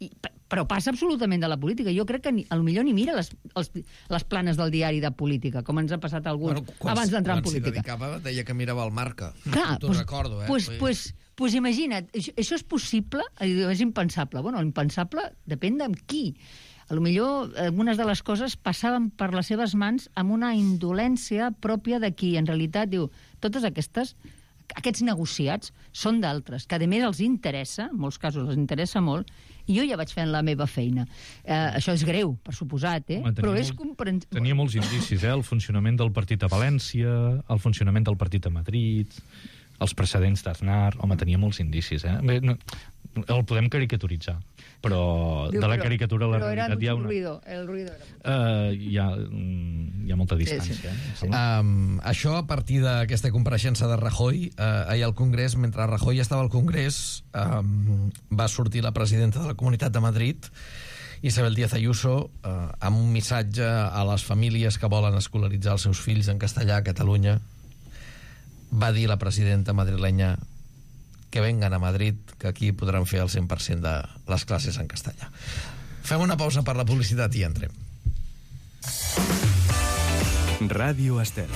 i, però passa absolutament de la política. Jo crec que ni, potser ni mira les, els, les planes del diari de política, com ens ha passat a alguns bueno, quan, abans d'entrar en política. Quan s'hi dedicava, deia que mirava el Marca. Clar, T'ho pues, recordo, eh? Pues, pues, pues imagina't, això, això és possible? És impensable. Bueno, l'impensable depèn de qui. A lo millor algunes de les coses passaven per les seves mans amb una indolència pròpia de qui, en realitat, diu, totes aquestes, aquests negociats són d'altres, que a més els interessa, en molts casos els interessa molt, i jo ja vaig fent la meva feina. Eh, això és greu, per suposat, eh? Home, però molt, és comprensible. Tenia molts indicis, eh? El funcionament del partit a València, el funcionament del partit a Madrid, els precedents d'Aznar... Home, tenia molts indicis, eh? Bé, no, el podem caricaturitzar, però Diu, de la però, caricatura a la realitat hi ha una... Ruido, el ruido era... Uh, hi, ha, hi ha molta distància. Sí, sí. Eh? Um, això a partir d'aquesta compareixença de Rajoy uh, ahir al Congrés, mentre Rajoy estava al Congrés, um, va sortir la presidenta de la Comunitat de Madrid, Isabel Díaz Ayuso, uh, amb un missatge a les famílies que volen escolaritzar els seus fills en castellà a Catalunya. Va dir la presidenta madrilenya que vengan a Madrid, que aquí podran fer el cent per cent de les classes en castellà. Fem una pausa per la publicitat i entrem. Ràdio Estel.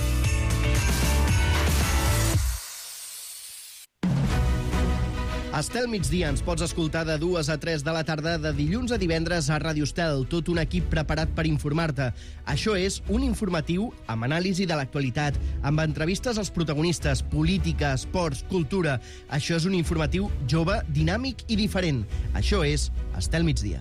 Estel migdia ens pots escoltar de dues a tres de la tarda de dilluns a divendres a Ràdio Estel, tot un equip preparat per informar-te. Això és un informatiu amb anàlisi de l'actualitat, amb entrevistes als protagonistes, política, esports, cultura. Això és un informatiu jove, dinàmic i diferent. Això és Estel migdia.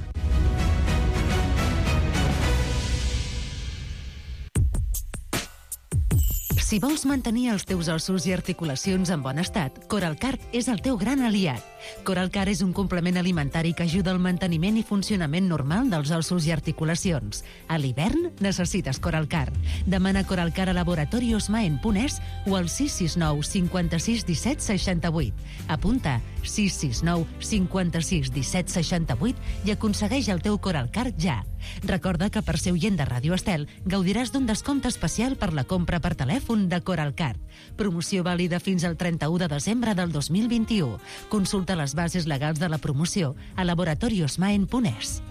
Si vols mantenir els teus ossos i articulacions en bon estat, Coralcart és el teu gran aliat. Coralcart és un complement alimentari que ajuda al manteniment i funcionament normal dels ossos i articulacions. A l'hivern necessites Coralcart. Demana Coralcart a Laboratorios Maen punt es o al sis sis nou cinquanta-sis disset seixanta-vuit. Apunta sis sis nou cinquanta-sis disset seixanta-vuit i aconsegueix el teu Coralcart ja. Recorda que per ser oient de Ràdio Estel gaudiràs d'un descompte especial per la compra per telèfon de Coralcart. Promoció vàlida fins al trenta-u de desembre del dos mil vint-i-u. Consulta les bases legals de la promoció a laboratorios maen punt es.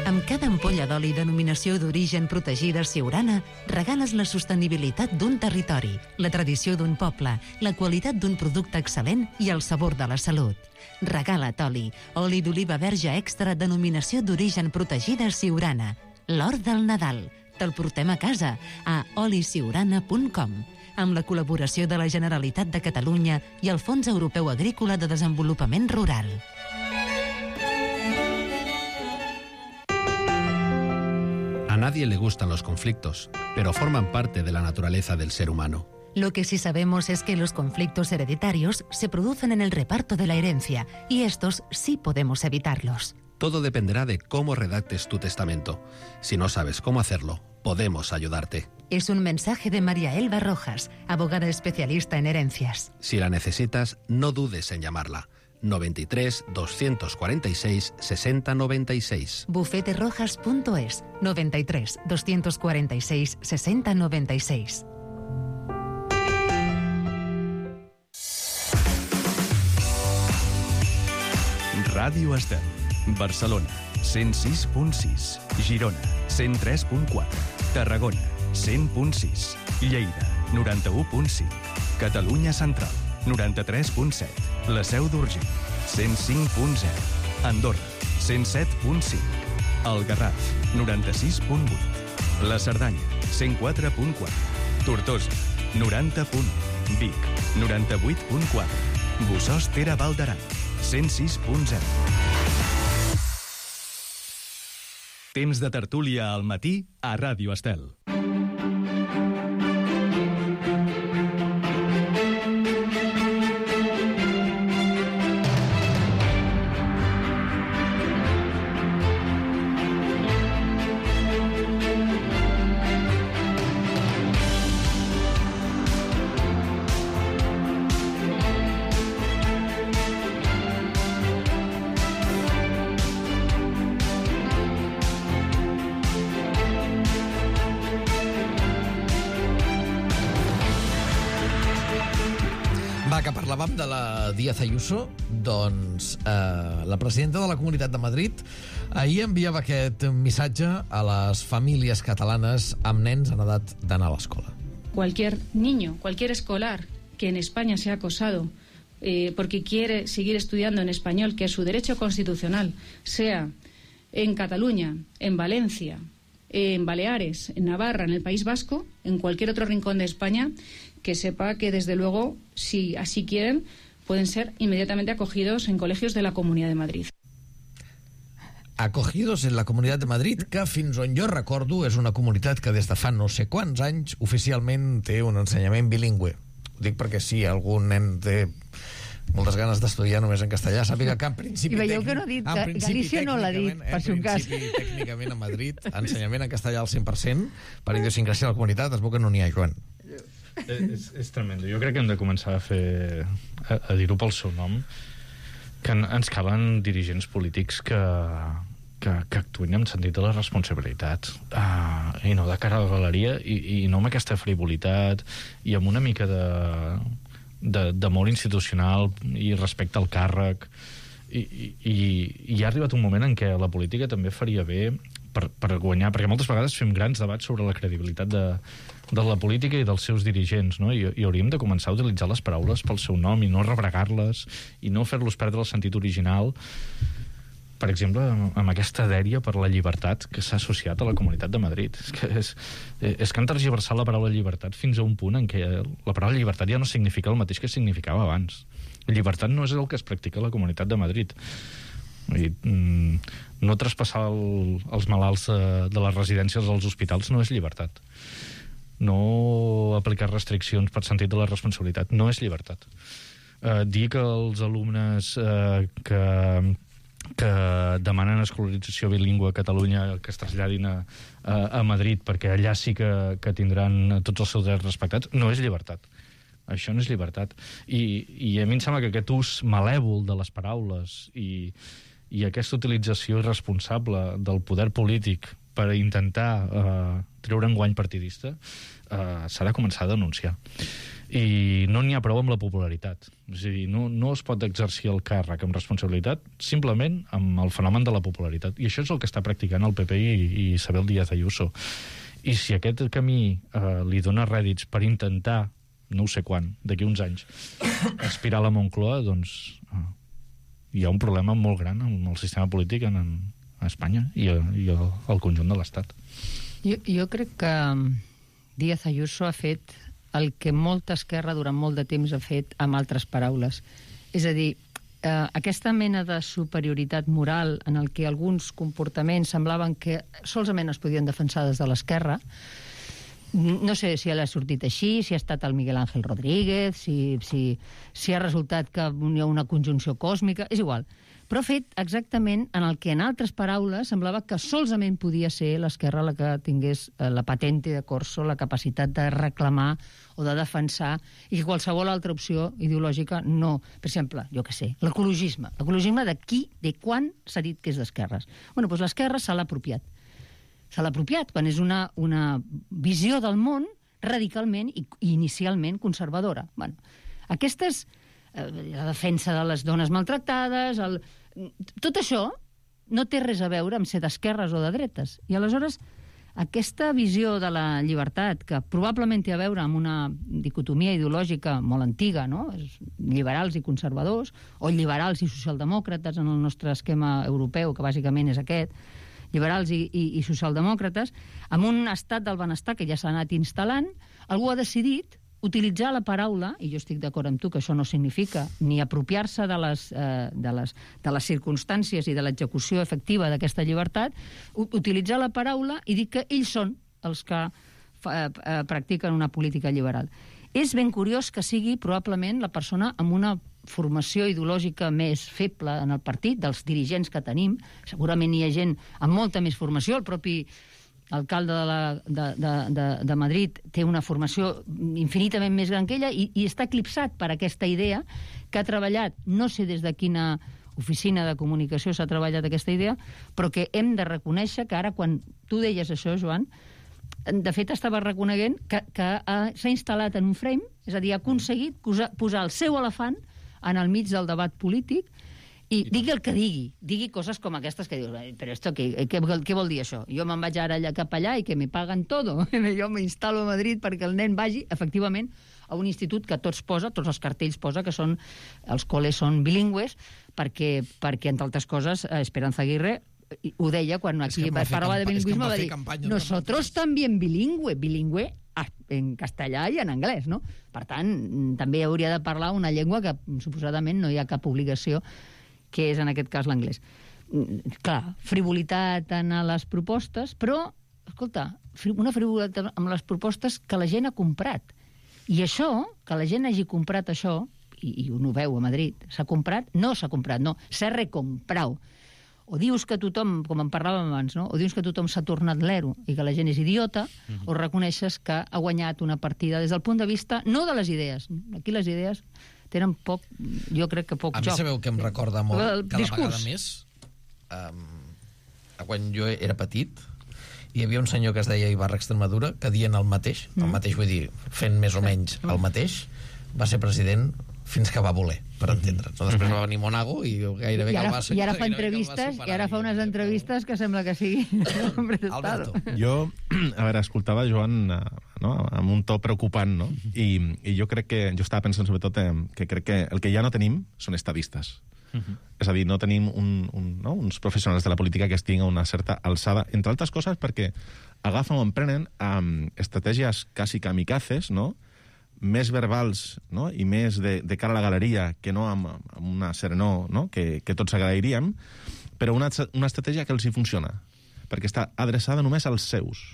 Amb cada ampolla d'oli denominació d'origen protegida Siurana, regales la sostenibilitat d'un territori, la tradició d'un poble, la qualitat d'un producte excel·lent i el sabor de la salut. Regala't oli, oli d'oliva verge extra denominació d'origen protegida Siurana. L'or del Nadal. Te'l portem a casa a oli siurana punt com, amb la col·laboració de la Generalitat de Catalunya i el Fons Europeu Agrícola de Desenvolupament Rural. A nadie le gustan los conflictos, pero forman parte de la naturaleza del ser humano. Lo que sí sabemos es que los conflictos hereditarios se producen en el reparto de la herencia, y estos sí podemos evitarlos. Todo dependerá de cómo redactes tu testamento. Si no sabes cómo hacerlo, podemos ayudarte. Es un mensaje de María Elba Rojas, abogada especialista en herencias. Si la necesitas, no dudes en llamarla. noventa y tres, doscientos cuarenta y seis, sesenta noventa y seis. bufete rojas punto es, noventa y tres, doscientos cuarenta y seis, sesenta noventa y seis. Ràdio Estel. Barcelona, cent sis punt sis. Girona, cent tres punt quatre. Tarragona, cent punt sis. Lleida, noranta-u punt cinc. Catalunya Central, noranta-tres punt set. La Seu d'Urgell, cent cinc punt zero. Andorra, cent set punt cinc. El Garraf, noranta-sis punt vuit. La Cerdanya, cent quatre punt quatre. Tortosa, noranta punt u. Vic, noranta-vuit punt quatre. Bossòst Pere Val d'Aran, cent sis punt zero. Temps de tertúlia al matí a Ràdio Estel. Va, que parlàvem de la Díaz Ayuso, doncs eh, la presidenta de la Comunitat de Madrid Ahir enviava aquest missatge a les famílies catalanes amb nens en edat d'anar a l'escola. Cualquier niño, cualquier escolar que en España sea acosado eh, porque quiere seguir estudiando en español, que es su derecho constitucional, sea en Cataluña, en Valencia, en Baleares, en Navarra, en el País Vasco, en cualquier otro rincón de España, que sepa que, desde luego, si así quieren, pueden ser inmediatamente acogidos en colegios de la Comunidad de Madrid. Acogidos en la Comunitat de Madrid, que fins on jo recordo és una comunitat que des de fa no sé quants anys oficialment té un ensenyament bilingüe. Ho dic perquè si algun nen té moltes ganes d'estudiar només en castellà, sàpiga que en principi... I veieu que no ha dit, que Galícia no l'ha dit, per si un cas. En principi, tècnicament, a Madrid, ensenyament en castellà al cent per cent, per idiosincràsia de la comunitat, es veu que no n'hi ha, Joan. És, és tremendo. Jo crec que hem de començar a fer a, a dir-ho pel seu nom, que en, ens calen dirigents polítics que, que, que actuïn amb sentit de la responsabilitat, uh, i no de cara a la galeria, i, i no amb aquesta frivolitat, i amb una mica de, de, d'amor institucional i respecte al càrrec. I, i, i ha arribat un moment en què la política també faria bé per, per guanyar, perquè moltes vegades fem grans debats sobre la credibilitat de, de la política i dels seus dirigents, no? I, i hauríem de començar a utilitzar les paraules pel seu nom i no rebregar-les i no fer-los perdre el sentit original, per exemple, amb aquesta dèria per la llibertat que s'ha associat a la Comunitat de Madrid. És que, és, és que han tergiversat la paraula llibertat fins a un punt en què la paraula llibertat ja no significa el mateix que significava abans. Llibertat no és el que es practica a la Comunitat de Madrid. I, mm, no traspassar el, els malalts de, de les residències als hospitals no és llibertat. No aplicar restriccions per sentit de la responsabilitat no és llibertat. Eh, dir que els alumnes eh, que, que demanen escolarització bilingüe a Catalunya que es traslladin a, a, a Madrid perquè allà sí que, que tindran tots els seus drets respectats no és llibertat. Això no és llibertat. I, i a mi em sembla que aquest ús malèvol de les paraules i, i aquesta utilització irresponsable del poder polític per intentar eh, treure un guany partidista eh, s'ha de començar a denunciar. I no n'hi ha prou amb la popularitat. És a dir, no, no es pot exercir el càrrec amb responsabilitat simplement amb el fenomen de la popularitat. I això és el que està practicant el P P i, i Isabel Díaz Ayuso. I si aquest camí eh, li dona rèdits per intentar, no ho sé quan, d'aquí uns anys, aspirar a la Moncloa, doncs eh, hi ha un problema molt gran amb el sistema polític en, en Espanya i, i el, el conjunt de l'Estat. Jo, jo crec que Díaz Ayuso ha fet el que molta esquerra durant molt de temps ha fet amb altres paraules. És a dir, eh, aquesta mena de superioritat moral en el que alguns comportaments semblaven que solament es podien defensar des de l'esquerra. No sé si ha sortit així, si ha estat el Miguel Ángel Rodríguez, si, si, si ha resultat que hi ha una conjunció còsmica, és igual. Però ha fet exactament en el que en altres paraules semblava que solament podia ser l'esquerra la que tingués la patente de corso, la capacitat de reclamar o de defensar, i que qualsevol altra opció ideològica no. Per exemple, jo què sé, l'ecologisme. L'ecologisme de qui, de quan s'ha dit que és d'esquerres? Bueno, doncs l'esquerra se l'ha apropiat. Se l'ha apropiat quan és una, una visió del món radicalment i, i inicialment conservadora. Bueno, aquestes, eh, la defensa de les dones maltractades, el, tot això no té res a veure amb ser d'esquerres o de dretes. I aleshores aquesta visió de la llibertat, que probablement té a veure amb una dicotomia ideològica molt antiga, no? Liberals i conservadors, o liberals i socialdemòcrates en el nostre esquema europeu, que bàsicament és aquest, liberals i, i, i socialdemòcrates, amb un estat del benestar que ja s'ha anat instal·lant, algú ha decidit utilitzar la paraula, i jo estic d'acord amb tu que això no significa ni apropiar-se de les, eh, de les, de les circumstàncies i de l'execució efectiva d'aquesta llibertat, utilitzar la paraula i dir que ells són els que fa, eh, practiquen una política liberal. És ben curiós que sigui probablement la persona amb una formació ideològica més feble en el partit, dels dirigents que tenim. Segurament hi ha gent amb molta més formació. El propi alcalde de, la, de, de, de, de Madrid té una formació infinitament més gran que ella i, i està eclipsat per aquesta idea que ha treballat, no sé des de quina oficina de comunicació s'ha treballat aquesta idea, però que hem de reconèixer que ara, quan tu deies això, Joan, de fet estava reconeguent que, que ha, s'ha instal·lat en un frame, és a dir, ha aconseguit posar, posar el seu elefant en el mig del debat polític I digui el que digui, digui coses com aquestes que dius, però esto què, què, què vol dir això? Jo me'n vaig ara allà cap allà i que me paguen todo. Jo m'instal·lo a Madrid perquè el nen vagi, efectivament, a un institut que tots posa, tots els cartells posa que són, els col·les són bilingües, perquè, perquè entre altres coses, Esperanza Aguirre ho deia quan aquí es parlava de bilingüisme, va dir, nosotros también bilingüe, bilingüe en castellà i en anglès, no? Per tant, també hauria de parlar una llengua que suposadament no hi ha cap obligació, que és en aquest cas l'anglès. Clar, frivolitat en les propostes, però, escolta, una frivolitat amb les propostes que la gent ha comprat. I això, que la gent hagi comprat això, i, i un ho veu a Madrid, s'ha comprat? No s'ha comprat, no, s'ha recomprat. O dius que tothom, com en parlàvem abans, no? O dius que tothom s'ha tornat l'ero i que la gent és idiota, uh-huh. o reconeixes que ha guanyat una partida des del punt de vista, no de les idees. Aquí les idees tenen poc, jo crec que poc a joc. A mi sabeu que em recorda molt, el cada discurs. vegada més, um, quan jo era petit, hi havia un senyor que es deia Ibarra Extremadura, que dient el mateix, mm. el mateix vull dir, fent més o menys el mateix, va ser president fins que va voler, per entendre'ns. No? Després va venir Monago i gairebé I ara, que el va... I ara fa entrevistes, i ara fa unes entrevistes que sembla que sigui hombre d'estado. Jo, a veure, escoltava Joan no, amb un to preocupant, no? I, i jo crec que, jo estava pensant sobretot que crec que el que ja no tenim són estadistes. Uh-huh. És a dir, no tenim un, un, no? uns professionals de la política que estiguin a una certa alçada, entre altres coses perquè agafen o emprenen um, estratègies quasi kamikazes, no?, més verbals, no?, i més de, de cara a la galeria que no amb, amb una serenor, no?, que, que tots agrairíem, però una, una estratègia que els hi funciona, perquè està adreçada només als seus.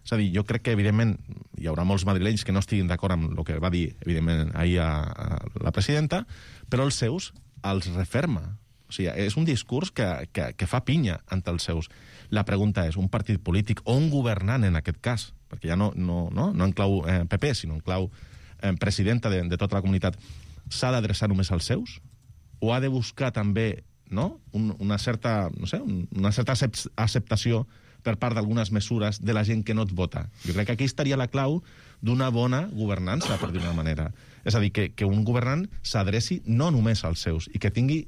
És a dir, jo crec que, evidentment, hi haurà molts madrilenys que no estiguin d'acord amb el que va dir, evidentment, ahir a, a la presidenta, però els seus els referma. O sigui, és un discurs que, que, que fa pinya entre els seus. La pregunta és, un partit polític o un governant, en aquest cas, perquè ja no, no, no, no en clau eh, P P, sinó en clau eh, presidenta de, de tota la comunitat, s'ha d'adreçar només als seus? O ha de buscar també, no?, un, una certa, no sé, una certa acceptació per part d'algunes mesures de la gent que no et vota? Jo crec que aquí estaria la clau d'una bona governança, per dir-ho d'una manera. És a dir, que, que un governant s'adreci no només als seus i que tingui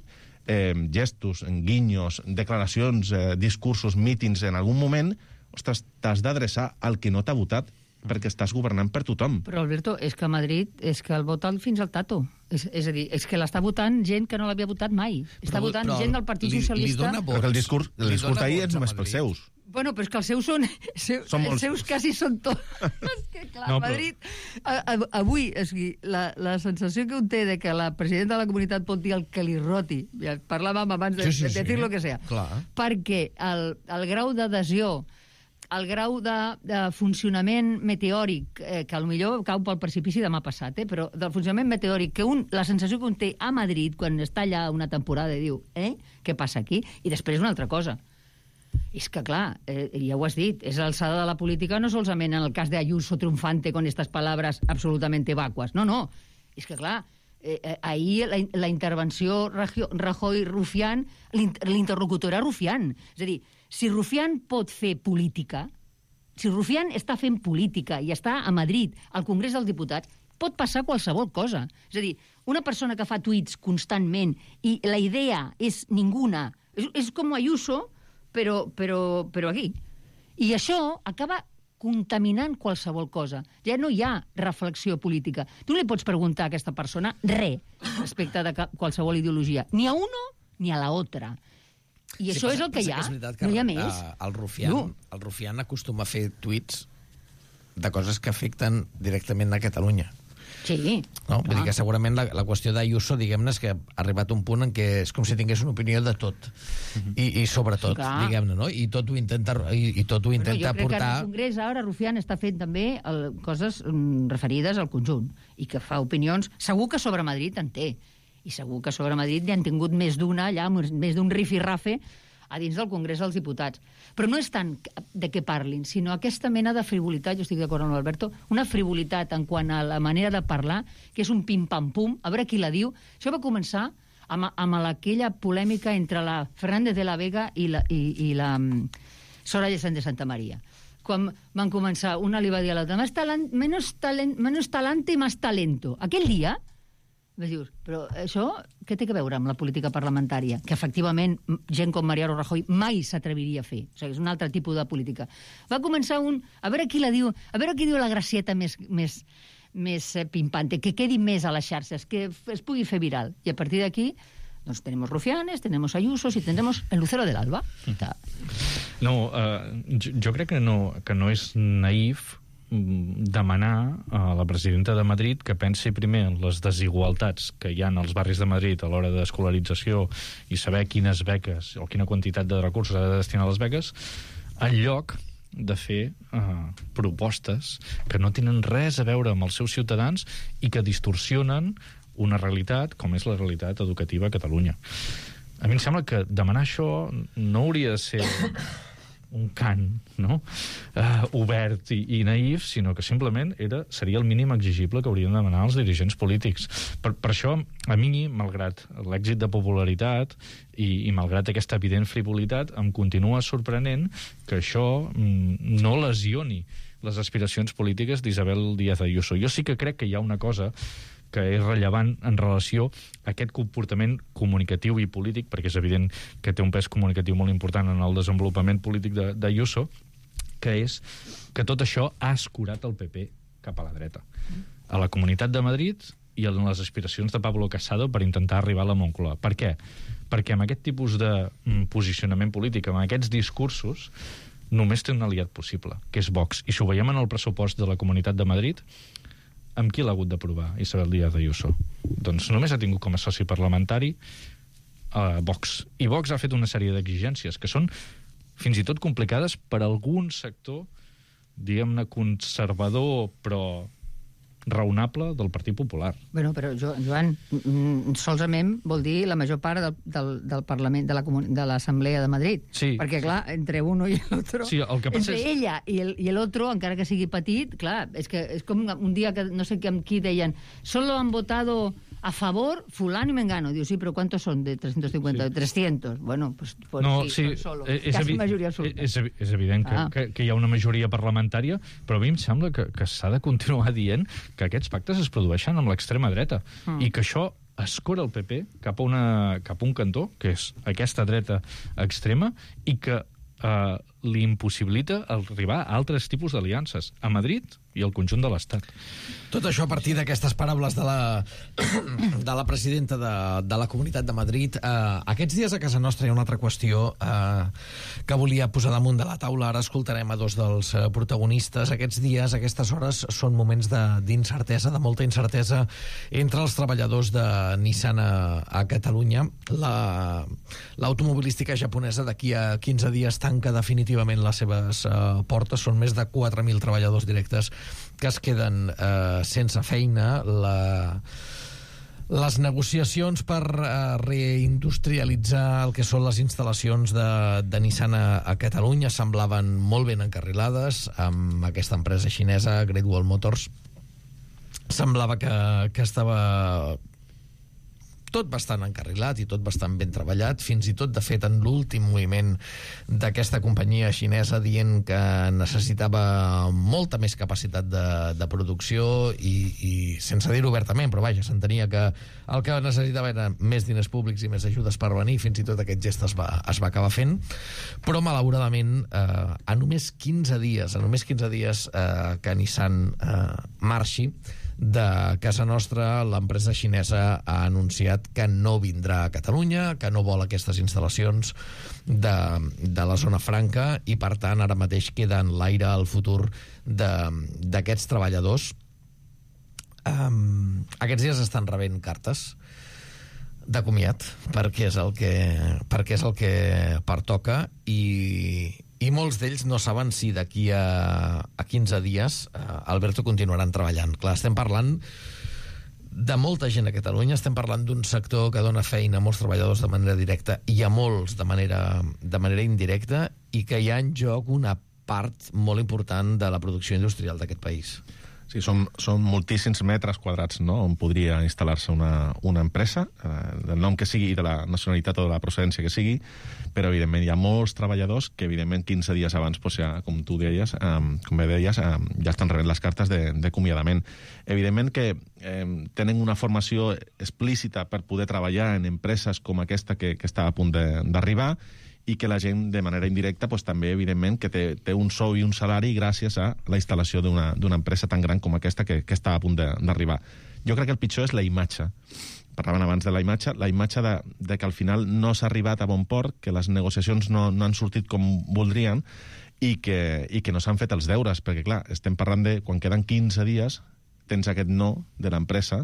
eh, gestos, guinyos, declaracions, eh, discursos, mítings en algun moment. Ostres, t'has d'adreçar al que no t'ha votat perquè estàs governant per tothom. Però, Alberto, és que a Madrid és que el vota fins al tato. És, és a dir, és que l'està votant gent que no l'havia votat mai. Està però, votant però gent del Partit li, Socialista... Li però el discurs, el discurs d'ahir és només pels seus. Bueno, però és que els seus són... Seu, són els seus quasi són tots. És que, clar, no, Madrid... A, a, avui, és dir, la, la sensació que un té de que la presidenta de la comunitat pot dir el que li roti, ja parlàvem abans de, sí, sí, de, de dir lo que sea, clar. Perquè el, el grau d'adhesió, el grau de, de funcionament meteòric, eh, que potser cau pel precipici demà passat, eh, però del funcionament meteòric, que un, la sensació que un té a Madrid quan està allà una temporada i diu, eh, què passa aquí? I després una altra cosa. És que, clar, eh, ja ho has dit, és l'alçada de la política no solament en el cas de Ayuso triomfante con estas palabras absolutamente vacuas. No, no. És que, clar, eh, eh, ahir la, la intervenció Rajoy-Rufián, l'interlocutor era Rufián. És a dir, si Rufián pot fer política, si Rufián està fent política i està a Madrid, al Congrés dels Diputats, pot passar qualsevol cosa. És a dir, una persona que fa tuits constantment i la idea és ninguna, és, és com Ayuso, però, però, però aquí. I això acaba contaminant qualsevol cosa. Ja no hi ha reflexió política. Tu no li pots preguntar a aquesta persona res respecte de qualsevol ideologia. Ni a uno ni a la otra. I sí, això és el que hi ha. Que no hi ha més. El Rufián, no. el Rufián acostuma a fer tuits de coses que afecten directament a Catalunya. Sí. No? Vull dir que segurament la, la qüestió d'Ayuso, diguem-ne, és que ha arribat un punt en què és com si tingués una opinió de tot. Uh-huh. I, i sobretot, sí, diguem-ne, no? I tot ho intenta, i, i tot ho intenta bueno, jo crec portar... que en el Congrés ara Rufián està fent també el, coses mm, referides al conjunt i que fa opinions... Segur que sobre Madrid en té. I segur que sobre Madrid n'hi han tingut més d'una allà, més d'un rifirrafe a dins del Congrés dels Diputats. Però no és tant de què parlin, sinó aquesta mena de frivolitat, jo estic d'acord amb l'Alberto, una frivolitat en quant a la manera de parlar, que és un pim-pam-pum, a veure qui la diu. Això va començar amb, amb aquella polèmica entre la Fernández de la Vega i la, i, i la um, Soraya Sáenz de Santa María. Quan van començar, una li va dir a l'altra, menos talent, menos talent, menos talante y más talento. Aquell dia Dius, però això què té a veure amb la política parlamentària? Que efectivament gent com Mariano Rajoy mai s'atreviria a fer. O sigui, és un altre tipus de política. Va començar un... A veure qui la diu, a veure qui diu la gracieta més, més, més pimpante, que quedi més a les xarxes, que es pugui fer viral. I a partir d'aquí, doncs tenemos Rufianes, tenemos Ayusos y tendremos el Lucero del Alba. No, uh, jo, jo crec que no, que no és naïf demanar a la presidenta de Madrid que pensi primer en les desigualtats que hi ha als barris de Madrid a l'hora d'escolarització i saber quines beques o quina quantitat de recursos ha de destinar a les beques, en lloc de fer uh, propostes que no tenen res a veure amb els seus ciutadans i que distorsionen una realitat com és la realitat educativa a Catalunya. A mi em sembla que demanar això no hauria de ser un cant, no? Uh, obert i, i naïf, sinó que simplement era, seria el mínim exigible que haurien de demanar els dirigents polítics. Per, per això, a mi, malgrat l'èxit de popularitat i, i malgrat aquesta evident frivolitat, em continua sorprenent que això mm, no lesioni les aspiracions polítiques d'Isabel Díaz Ayuso. Jo sí que crec que hi ha una cosa que és rellevant en relació a aquest comportament comunicatiu i polític, perquè és evident que té un pes comunicatiu molt important en el desenvolupament polític d'Ayuso, que és que tot això ha escurat el P P cap a la dreta. A la Comunitat de Madrid i en les aspiracions de Pablo Casado per intentar arribar a la Moncloa. Per què? Perquè amb aquest tipus de posicionament polític, amb aquests discursos, només té un aliat possible, que és Vox. I si ho veiem en el pressupost de la Comunitat de Madrid, amb qui l'ha hagut d'aprovar Isabel Díaz Ayuso? Doncs només ha tingut com a soci parlamentari a Vox. I Vox ha fet una sèrie d'exigències que són fins i tot complicades per algun sector, diguem-ne, conservador, però raonable del Partit Popular. Bueno, però, Joan, solament vol dir la major part del, del, del Parlament, de la de l'Assemblea de Madrid. Sí. Perquè, clar, entre uno i l'altre... Sí, el que passa entre és... ella i el, i l'altre, encara que sigui petit, clar, és que és com un dia que no sé amb qui deien solo han votado a favor fulano y mengano. Diu, sí, però ¿cuántos son de trescientos cincuenta? Sí. trescientos. Bueno, pues, pues no, sí, sí, son solo. És, Casi evi majoria absoluta. És, és evident que, ah. que, que hi ha una majoria parlamentària, però a mi em sembla que, que s'ha de continuar dient que aquests pactes es produeixen amb l'extrema dreta mm. i que això escora el P P cap a, una, cap a un cantó, que és aquesta dreta extrema, i que eh, li impossibilita arribar a altres tipus d'aliances a Madrid i al conjunt de l'Estat. Tot això a partir d'aquestes paraules de la, de la presidenta de, de la Comunitat de Madrid. Eh, aquests dies a casa nostra hi ha una altra qüestió eh, que volia posar damunt de la taula. Ara escoltarem a dos dels eh, protagonistes. Aquests dies, aquestes hores, són moments d'incertesa, de, de molta incertesa entre els treballadors de Nissan a, a Catalunya. L'automobilística la, japonesa d'aquí a quinze dies tanca definitivament les seves eh, portes. Són més de quatre mil treballadors directes que es queden eh, sense feina. La, les negociacions per eh, reindustrialitzar el que són les instal·lacions de, de Nissan a, a Catalunya semblaven molt ben encarrilades amb aquesta empresa xinesa, Great Wall Motors. Semblava que, que estava tot bastant encarrilat i tot bastant ben treballat, fins i tot, de fet, en l'últim moviment d'aquesta companyia xinesa dient que necessitava molta més capacitat de, de producció i, i sense dir-ho obertament, però vaja, s'entenia que el que necessitava era més diners públics i més ajudes per venir, fins i tot aquest gest es va, es va acabar fent, però malauradament eh, a només quinze dies, a només quinze dies eh, que Nissan eh, marxi de casa nostra, l'empresa xinesa ha anunciat que no vindrà a Catalunya, que no vol aquestes instal·lacions de, de la zona franca i, per tant, ara mateix queda en l'aire el futur d'aquests treballadors. Um, aquests dies estan rebent cartes de comiat perquè és el que, perquè és el que pertoca i, i molts d'ells no saben si d'aquí a, a quinze dies eh, Alberto continuaran treballant. Clar, estem parlant de molta gent a Catalunya, estem parlant d'un sector que dona feina a molts treballadors de manera directa i a molts de manera, de manera indirecta, i que hi ha en joc una part molt important de la producció industrial d'aquest país. Sí, són, són moltíssims metres quadrats, no?, on podria instal·lar-se una, una empresa, eh, del nom que sigui i de la nacionalitat o de la procedència que sigui, però, evidentment, hi ha molts treballadors que, evidentment, quinze dies abans, doncs, ja, com tu deies, eh, com bé deies, eh, ja estan rebent les cartes de, de acomiadament. Evidentment que eh, tenen una formació explícita per poder treballar en empreses com aquesta que, que està a punt d'arribar, i que la gent, de manera indirecta, doncs, també, evidentment, que té, té un sou i un salari gràcies a la instal·lació d'una empresa tan gran com aquesta que, que està a punt d'arribar. Jo crec que el pitjor és la imatge. Parlaven abans de la imatge, la imatge de, de que al final no s'ha arribat a bon port, que les negociacions no, no han sortit com voldrien i que, i que no s'han fet els deures, perquè, clar, estem parlant de quan queden quinze dies, tens aquest no de l'empresa,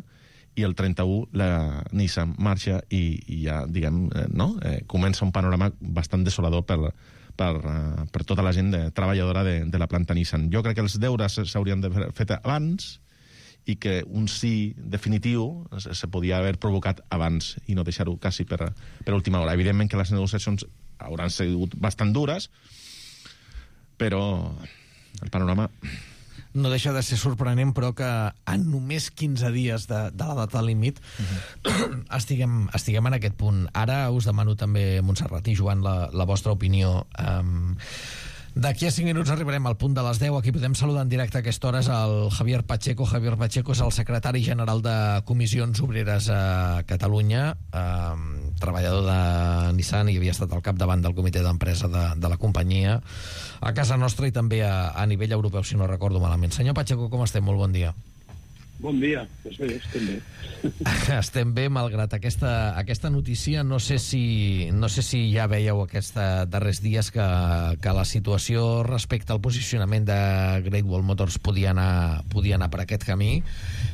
i el trenta-u la Nissan marxa i, i ja, diguem, eh, no? Eh, comença un panorama bastant desolador per, per, uh, per tota la gent de, treballadora de, de la planta Nissan. Jo crec que els deures s'haurien d'haver fet abans i que un sí definitiu se, se podia haver provocat abans i no deixar-ho quasi per, per última hora. Evidentment que les negociacions hauran sigut bastant dures, però el panorama... No deixa de ser sorprenent, però que en només quinze dies de, de la data límit uh-huh. estiguem, estiguem en aquest punt. Ara us demano també, Montserrat i Joan, la, la vostra opinió. Um, D'aquí a cinc minuts arribarem al punt de les deu. Aquí podem saludar en directe a aquesta hora el Javier Pacheco. Javier Pacheco és el secretari general de Comissions Obreres a Catalunya, eh, treballador de Nissan i havia estat al capdavant del comitè d'empresa de, de la companyia a casa nostra i també a, a nivell europeu, si no recordo malament. Senyor Pacheco, com estem? Molt bon dia. Bon dia, doncs bé, estem bé. Estem bé, malgrat aquesta, aquesta notícia. No sé si, no sé si ja veieu aquests darrers dies que, que la situació respecte al posicionament de Great Wall Motors podia anar, podia anar per aquest camí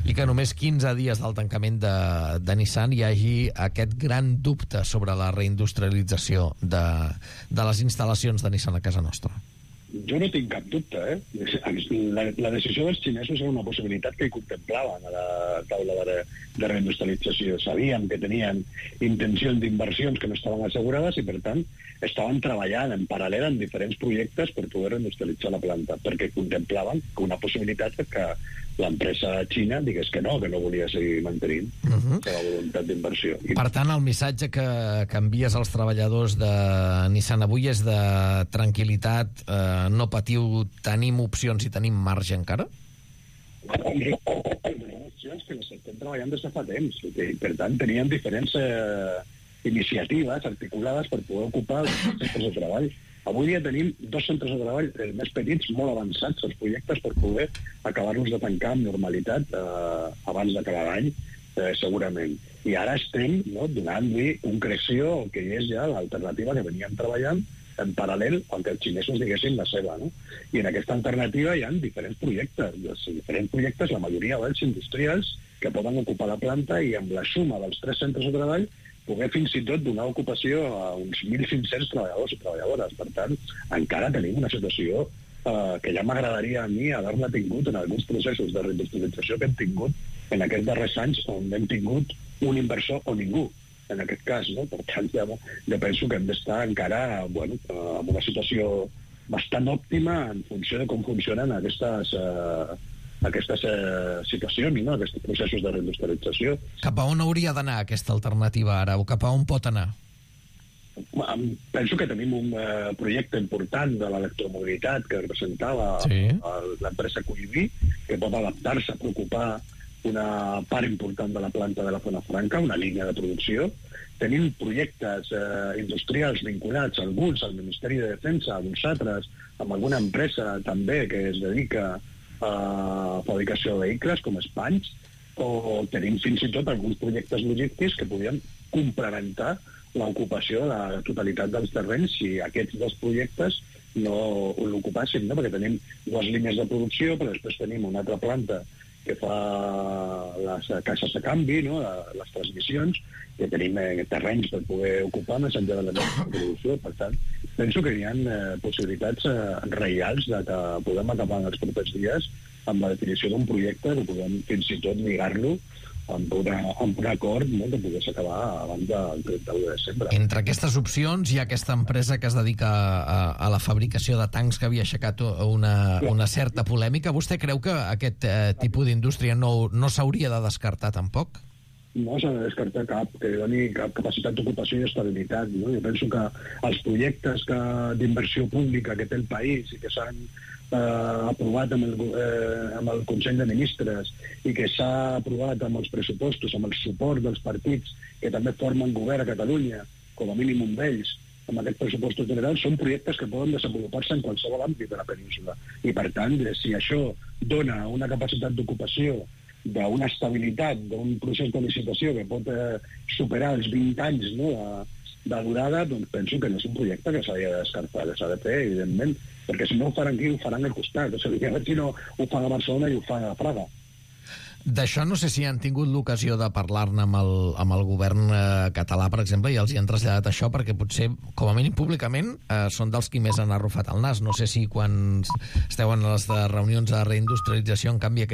i que només quinze dies del tancament de, de Nissan hi hagi aquest gran dubte sobre la reindustrialització de, de les instal·lacions de Nissan a casa nostra. Jo no tinc cap dubte, eh? La, la decisió dels xinesos era una possibilitat que hi contemplaven a la taula de, de reindustrialització. Sabíem que tenien intencions d'inversions que no estaven assegurades i, per tant, estaven treballant en paral·lel en diferents projectes per poder reindustrialitzar la planta, perquè contemplaven que una possibilitat que l'empresa xina digués que no, que no volia seguir mantenint uh-huh. la seva voluntat d'inversió. Per tant, el missatge que, que envies als treballadors de Nissan avui és de tranquil·litat, eh, no patiu, tenim opcions i tenim marge encara? Tenim opcions que les estem treballant des de fa temps. I, per tant, teníem diferents eh, iniciatives articulades per poder ocupar els centres de treball. Avui dia tenim dos centres de treball eh, més petits, molt avançats els projectes per poder acabar-los de tancar amb normalitat eh, abans d'acabar l'any, eh, segurament. I ara estem no, donant-li concreció al que és ja l'alternativa que veníem treballant en paral·lel al que els xinesos diguessin la seva. No? I en aquesta alternativa hi ha diferents projectes. Els diferents projectes, la majoria d'ells industrials, que poden ocupar la planta i amb la suma dels tres centres de treball poder fins i tot donar ocupació a uns mil cinc-cents treballadors i treballadores. Per tant, encara tenim una situació eh, que ja m'agradaria a mi haver-la tingut en alguns processos de reindustrialització que hem tingut en aquests darrers anys on hem tingut un inversor o ningú, en aquest cas. No? Per tant, ja, ja penso que hem d'estar encara bueno, en una situació bastant òptima en funció de com funcionen aquestes... Eh, aquestes eh, situacions, no? Aquests processos de reindustrialització. Cap a on hauria d'anar aquesta alternativa ara, o cap a on pot anar? Penso que tenim un eh, projecte important de l'electromobilitat que representava sí. l'empresa Cuiví, que pot adaptar-se a ocupar una part important de la planta de la Zona Franca, una línia de producció. Tenim projectes eh, industrials vinculats, alguns al Ministeri de Defensa, alguns altres, amb alguna empresa també que es dedica a fabricació de vehicles, com Spanys, o tenim fins i tot alguns projectes logístics que podien complementar l'ocupació de la totalitat dels terrenys si aquests dos projectes no l'ocupassin, no? Perquè tenim dues línies de producció, però després tenim una altra planta que fa les caixes de canvi, no? Les transmissions, que tenim eh, terrenys per poder ocupar més enllà de la nostra producció. Per tant, penso que hi ha eh, possibilitats eh, reals de que podem acabar en els propers dies amb la definició d'un projecte que podem fins i tot lligar-lo amb, una, amb un acord, no?, que pogués acabar abans del trenta-u de desembre. Entre aquestes opcions hi ha aquesta empresa que es dedica a, a la fabricació de tancs que havia aixecat una, una certa polèmica. Vostè creu que aquest eh, tipus d'indústria no, no s'hauria de descartar tampoc? No s'ha de descartar cap, que doni cap capacitat d'ocupació i estabilitat. No? Jo penso que els projectes que, d'inversió pública que té el país i que s'han eh, aprovat amb el, eh, amb el Consell de Ministres i que s'ha aprovat amb els pressupostos, amb el suport dels partits que també formen govern a Catalunya, com a mínim un d'ells, amb aquests pressupostos generals, són projectes que poden desenvolupar-se en qualsevol àmbit de la península. I, per tant, si això dona una capacitat d'ocupació, d'una estabilitat, d'un procés de licitació que pot eh, superar els vint anys, no?, de, de durada, doncs penso que no és un projecte que s'hauria de descartar, que s'ha de fer, evidentment, perquè si no ho faran aquí, ho faran al costat. O sigui, a veure si no ho fan a Barcelona i ho fan a Praga. D'això no sé si han tingut l'ocasió de parlar-ne amb el, amb el govern eh, català, per exemple, i els hi han traslladat això, perquè potser, com a mínim públicament, eh, són dels qui més han arrufat el nas. No sé si quan esteu en les de reunions de reindustrialització, en canvi, aquest